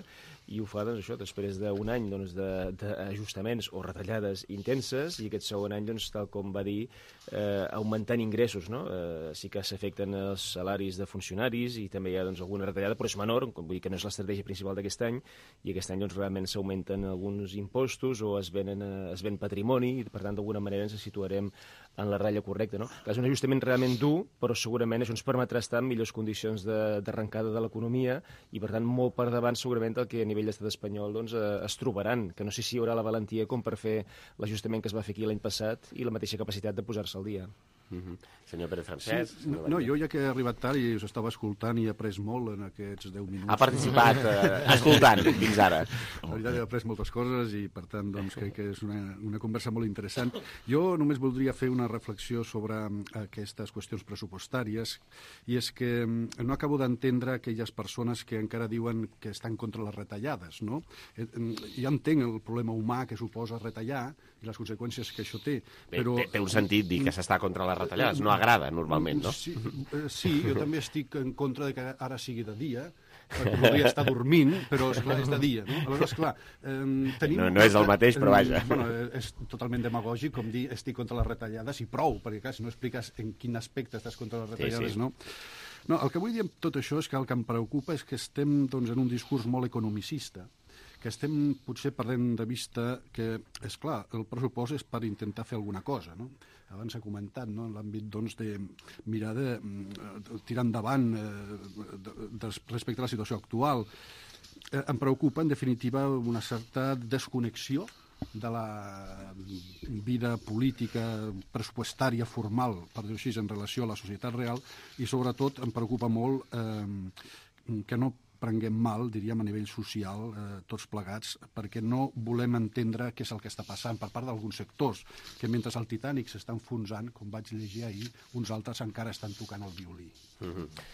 i ho fa doncs, això, després d'un any doncs, d'ajustaments o retallades intenses, i aquest segon any, doncs, tal com va dir, eh, augmentant ingressos. No? Eh, sí que s'afecten els salaris de funcionaris i també hi ha doncs, alguna retallada, però és menor, vull dir que no és l'estratègia principal d'aquest any, i aquest any doncs, realment s'augmenten alguns impostos o es venen, es ven patrimoni, i per tant d'alguna manera ens situarem en la ratlla correcta. No? És un ajustament realment dur, però segurament això ens permetrà estar en millors condicions d'arrencada de, de l'economia i per tant molt per davant segurament el que a nivell d'estat espanyol doncs, eh, es trobaran, que no sé si hi haurà la valentia com per fer l'ajustament que es va fer aquí l'any passat i la mateixa capacitat de posar-se al dia. Mm-hmm. Senyor Pere Francesc... Sí, no, no, jo ja que he arribat tard i us estava escoltant i he après molt en aquests deu minuts. Ha participat eh, escoltant fins ara. La veritat, he après moltes coses i per tant doncs, crec que és una, una conversa molt interessant. Jo només voldria fer una reflexió sobre aquestes qüestions pressupostàries i és que no acabo d'entendre aquelles persones que encara diuen que estan contra les retallades. No? Ja entenc el problema humà que suposa retallar i les conseqüències que això té. Però... Té, té un sentit dir que s'està contra les retallades, no agrada normalment, no? Sí, sí, jo també estic en contra de que ara sigui de dia, perquè voldria estar dormint, però esclar, és de dia, no? Aleshores, clar, eh, tenim... No, no és el mateix, però vaja. Bueno, és totalment demagògic, com dir estic contra les retallades i prou, perquè clar, si no expliques en quin aspecte estàs contra les retallades, sí, sí. no? No, el que vull dir amb tot això és que el que em preocupa és que estem doncs, en un discurs molt economicista, que estem potser perdent de vista que, és clar, el pressupost és per intentar fer alguna cosa, no? Abans s'ha comentat, no?, en l'àmbit doncs, de mirar de, de tirar endavant eh, de, de, respecte a la situació actual. Eh, em preocupa, en definitiva, una certa desconnexió de la vida política pressupostària formal, per dir-ho així, en relació a la societat real, i sobretot em preocupa molt eh, que no prenguem mal, diríem, a nivell social, eh, tots plegats, perquè no volem entendre què és el que està passant per part d'alguns sectors, que mentre el Titanic s'està enfonsant, com vaig llegir ahir, uns altres encara estan tocant el violí. Mm-hmm.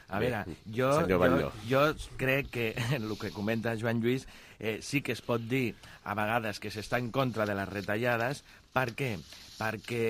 A veure, jo, jo, jo crec que el que comenta Joan Lluís eh, sí que es pot dir a vegades que s'està en contra de les retallades. Per què? Perquè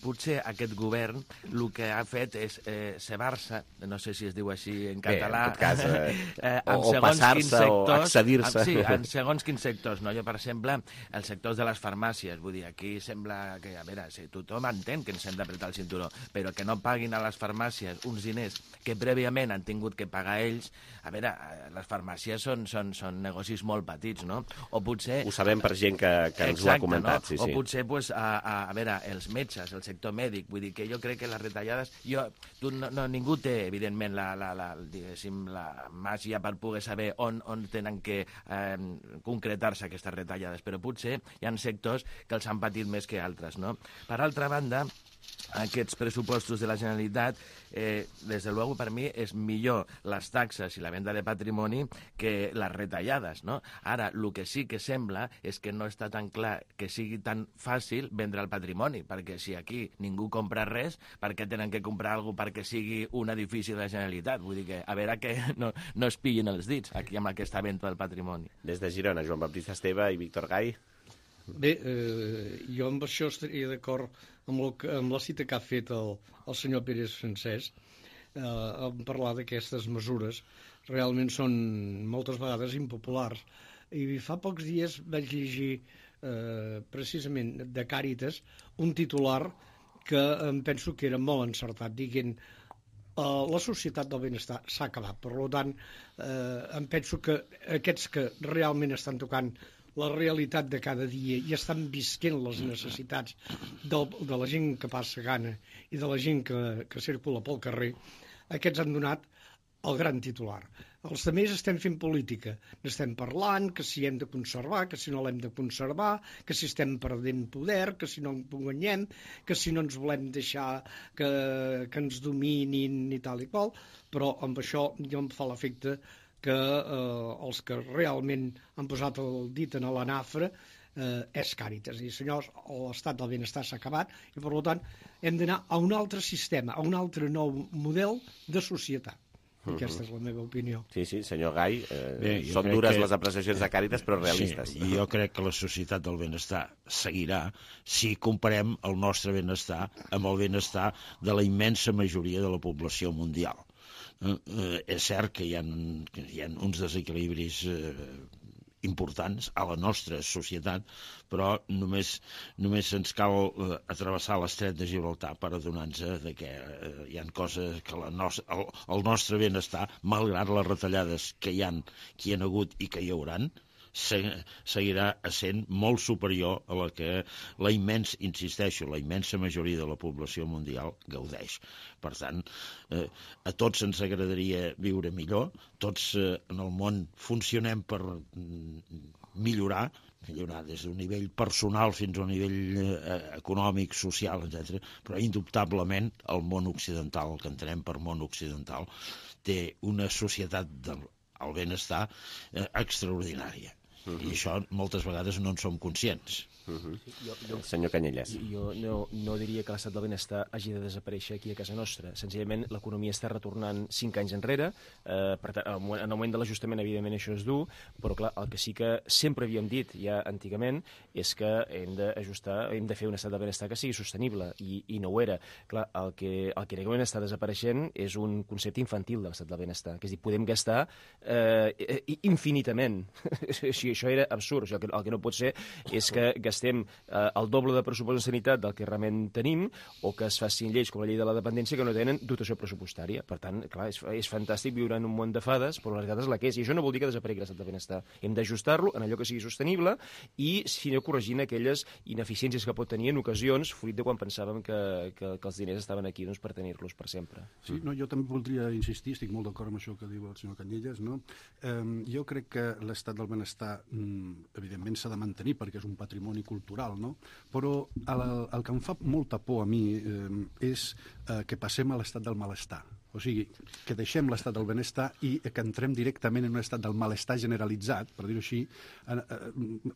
potser aquest govern el que ha fet és eh, cebar-se, no sé si es diu així en català, bé, en tot cas, eh, eh, o, o passar-se o accedir-se. Sí, en segons quins sectors. No? Jo, per exemple, els sectors de les farmàcies, vull dir, aquí sembla que, a veure, sí, tothom entén que ens hem d'apretar el cinturó, però que no paguin a les farmàcies uns diners que prèviament han tingut que pagar ells, a veure, les farmàcies són, són, són negocis molt petits, no? O potser... Ho sabem per gent que, que ens Exacte, ho ha comentat, no? sí, sí. O potser, pues, a, a, a veure, els metges, el sector mèdic, vull dir que jo crec que les retallades, jo, tu, no, no, ningú té evidentment la, la, la, diguéssim, la màgia per poder saber on, on tenen que eh, concretar-se aquestes retallades, però potser hi ha sectors que els han patit més que altres, no? Per altra banda, aquests pressupostos de la Generalitat, eh, des de luego, per mi, és millor les taxes i la venda de patrimoni que les retallades, no? Ara, el que sí que sembla és que no està tan clar que sigui tan fàcil vendre el patrimoni, perquè si aquí ningú compra res, per què tenen que comprar alguna cosa perquè sigui un edifici de la Generalitat? Vull dir que, a veure que no, no es pillin els dits aquí amb aquesta venda del patrimoni. Des de Girona, Joan Baptista Esteve i Víctor Gai. Bé, eh, jo amb això estaria d'acord amb, amb la cita que ha fet el, el senyor Pérez Francesc, eh, en parlar d'aquestes mesures. Realment són moltes vegades impopulars. I fa pocs dies vaig llegir eh, precisament de Càritas un titular que em penso que era molt encertat, dient eh, la societat del benestar s'ha acabat. Per tant, eh, em penso que aquests que realment estan tocant la realitat de cada dia i estan visquent les necessitats del, de la gent que passa gana i de la gent que, que circula pel carrer, aquests han donat el gran titular. Els altres estem fent política, n'estem parlant, que si hem de conservar, que si no l'hem de conservar, que si estem perdent poder, que si no en guanyem, que si no ens volem deixar que, que ens dominin i tal i qual, però amb això jo em fa l'efecte que eh, els que realment han posat el dit en la nafra eh, és Càritas. I, senyors, l'estat del benestar s'ha acabat i, per tant, hem d'anar a un altre sistema, a un altre nou model de societat. Aquesta és la meva opinió. Sí, sí, senyor Gai, eh, Bé, són dures que... les apreciacions de Càritas, però realistes. Sí, jo crec que la societat del benestar seguirà si comparem el nostre benestar amb el benestar de la immensa majoria de la població mundial. Eh, eh, és cert que hi ha, que hi ha uns desequilibris eh, importants a la nostra societat, però només, només ens cal eh, atravessar l'estret de Gibraltar per adonar-nos de que eh, hi ha coses que la nos el, el nostre benestar, malgrat les retallades que hi ha, que hi ha hagut i que hi hauran, se seguirà sent molt superior a la que la immens, insisteixo, la immensa majoria de la població mundial gaudeix. Per tant, eh, a tots ens agradaria viure millor, tots eh, en el món funcionem per mm, millorar, millorar des d'un nivell personal fins a un nivell eh, econòmic, social, etcètera. Però indubtablement el món occidental, el que entenem per món occidental, té una societat del el benestar eh, extraordinària. Uh-huh. I això moltes vegades no en som conscients. Uh-huh. Sí, jo, jo, el senyor Canyelles. Jo no, no diria que l'estat del benestar hagi de desaparèixer aquí a casa nostra. Senzillament, l'economia està retornant cinc anys enrere. Eh, per tant, en el moment de l'ajustament, evidentment, això és dur, però clar, el que sí que sempre havíem dit ja antigament és que hem d'ajustar, hem de fer un estat del benestar que sigui sostenible, i, i no ho era. Clar, el que, el que en aquest moment està desapareixent és un concepte infantil de l'estat del benestar, que és dir, podem gastar eh, infinitament. Si això era absurd, el que, el que no pot ser és que gastem gastem eh, el doble de pressupost en sanitat del que realment tenim, o que es facin lleis com la llei de la dependència que no tenen dotació pressupostària. Per tant, clar, és, és fantàstic viure en un món de fades, però la realitat és la que és, i això no vol dir que desaparegui l'estat del benestar. Hem d'ajustar-lo en allò que sigui sostenible i, si no, corregint aquelles ineficiències que pot tenir en ocasions, fruit de quan pensàvem que, que, que els diners estaven aquí doncs, per tenir-los per sempre. Sí, no, jo també voldria insistir, estic molt d'acord amb això que diu el senyor Canyelles, no? Eh, jo crec que l'estat del benestar, mm, evidentment, s'ha de mantenir perquè és un patrimoni cultural, no? Però el, el que em fa molta por a mi eh, és eh, que passem a l'estat del malestar. O sigui, que deixem l'estat del benestar i que entrem directament en un estat del malestar generalitzat, per dir-ho així, en,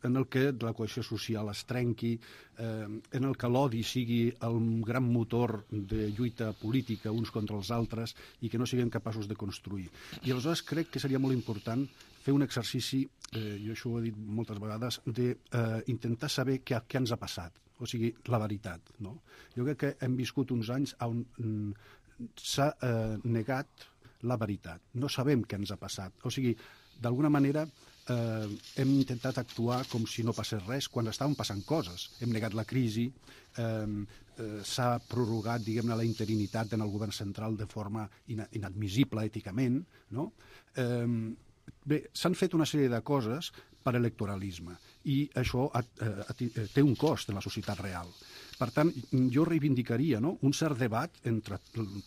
en el que la cohesió social es trenqui, eh, en el que l'odi sigui el gran motor de lluita política uns contra els altres i que no siguem capaços de construir. I aleshores crec que seria molt important fer un exercici, eh, jo això ho he dit moltes vegades, d'intentar eh, saber què, què ens ha passat, o sigui, la veritat, no? Jo crec que hem viscut uns anys on mm, s'ha eh, negat la veritat. No sabem què ens ha passat. O sigui, d'alguna manera eh, hem intentat actuar com si no passés res quan estaven passant coses. Hem negat la crisi, eh, eh, s'ha prorrogat, diguem-ne, la interinitat en el govern central de forma ina inadmissible èticament, no? Eh, bé, s'han fet una sèrie de coses per electoralisme i això ha, eh, té un cost en la societat real. Per tant, jo reivindicaria, no?, un cert debat entre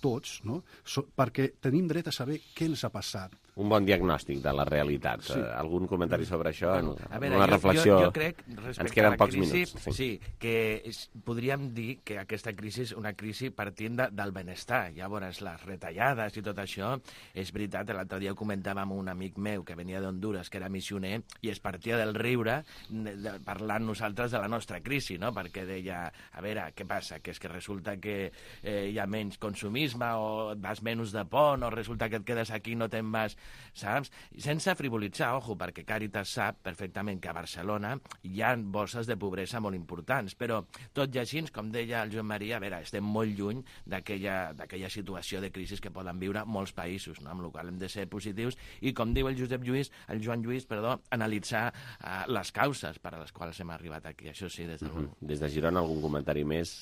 tots, no?, so, perquè tenim dret a saber què ens ha passat. Un bon diagnòstic de la realitat. Sí. Uh, algun comentari sobre això? Bueno, a veure, una jo, reflexió... Jo, jo crec, ens queden a la pocs crisi, minuts. Sí, sí que és, podríem dir que aquesta crisi és una crisi partint de, del benestar. Llavors, les retallades i tot això, és veritat, l'altre dia comentàvem amb un amic meu que venia d'Honduras, que era missioner, i es partia del riure de, parlant nosaltres de la nostra crisi, no?, perquè deia, a veure, què passa? Que és que resulta que eh, hi ha menys consumisme, o vas menys de pont, o resulta que et quedes aquí i no te'n vas, saps? Sense frivolitzar, ojo, perquè Càritas sap perfectament que a Barcelona hi ha bolses de pobresa molt importants, però tot i així, com deia el Joan Maria, a veure, estem molt lluny d'aquella situació de crisi que poden viure molts països, no? Amb la qual hem de ser positius i, com diu el Josep Lluís, el Joan Lluís, perdó, analitzar uh, les causes per a les quals hem arribat aquí. Això sí, des de... Uh-huh. Des de Girona, algun comentari més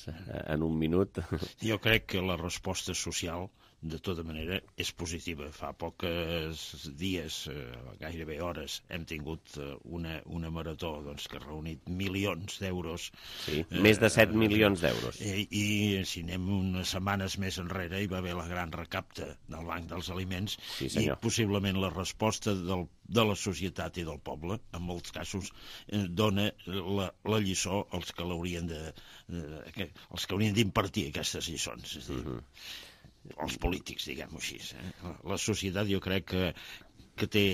en un minut? Jo crec que la resposta social, de tota manera, és positiva. Fa pocs dies, eh, gairebé hores, hem tingut eh, una, una marató doncs, que ha reunit milions d'euros. Sí, eh, més de set milions d'euros. I, I si anem unes setmanes més enrere, hi va haver la gran recapta del Banc dels Aliments, sí, i possiblement la resposta del, de la societat i del poble, en molts casos, eh, dona la, la lliçó als que l'haurien de, de, que, els que haurien d'impartir aquestes lliçons. És a dir, uh-huh. els polítics, diguem-ho així. Eh? La societat, jo crec que que té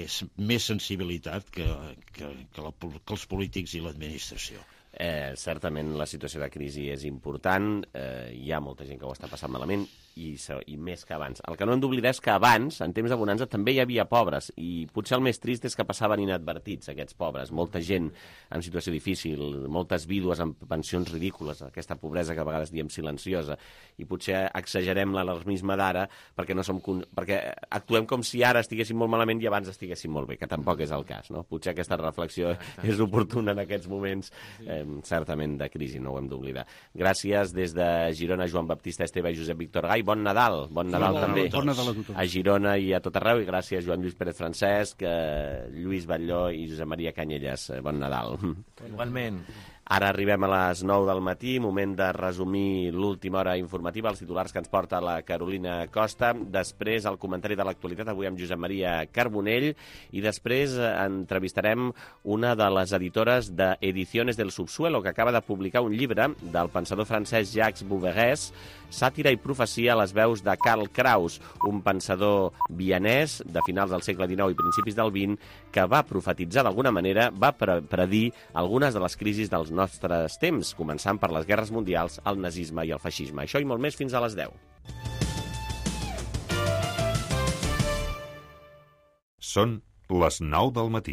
més sensibilitat que, que, que, la, que els polítics i l'administració. Eh, certament la situació de crisi és important, eh, hi ha molta gent que ho està passant malament i, i més que abans. El que no hem d'oblidar és que abans, en temps de bonança, també hi havia pobres i potser el més trist és que passaven inadvertits aquests pobres. Molta gent en situació difícil, moltes vídues amb pensions ridícules, aquesta pobresa que a vegades diem silenciosa, i potser exagerem l'alarmisme d'ara perquè, no som, perquè actuem com si ara estiguéssim molt malament i abans estiguéssim molt bé, que tampoc és el cas, no? Potser aquesta reflexió és oportuna en aquests moments eh, certament de crisi, no ho hem d'oblidar. Gràcies des de Girona, Joan Baptista Esteve i Josep Víctor Gai. Bon Nadal, bon Nadal bon també bon Nadal a, tothom. A Girona i a tot arreu, i gràcies Joan Lluís Pérez Francesc, eh, Lluís Batlló i Josep Maria Canyelles. Bon Nadal. Igualment. Ara arribem a les nou del matí, moment de resumir l'última hora informativa, els titulars que ens porta la Carolina Costa, després el comentari de l'actualitat, avui amb Josep Maria Carbonell, i després entrevistarem una de les editores de Ediciones del Subsuelo, que acaba de publicar un llibre del pensador francès Jacques Bouvergès, Sàtira i profecia a les veus de Karl Kraus, un pensador vienès de finals del segle dinou i principis del vint, que va profetitzar d'alguna manera, va pre predir algunes de les crisis dels nostres temps, començant per les guerres mundials, el nazisme i el feixisme. Això i molt més fins a les deu. Són les nou del matí.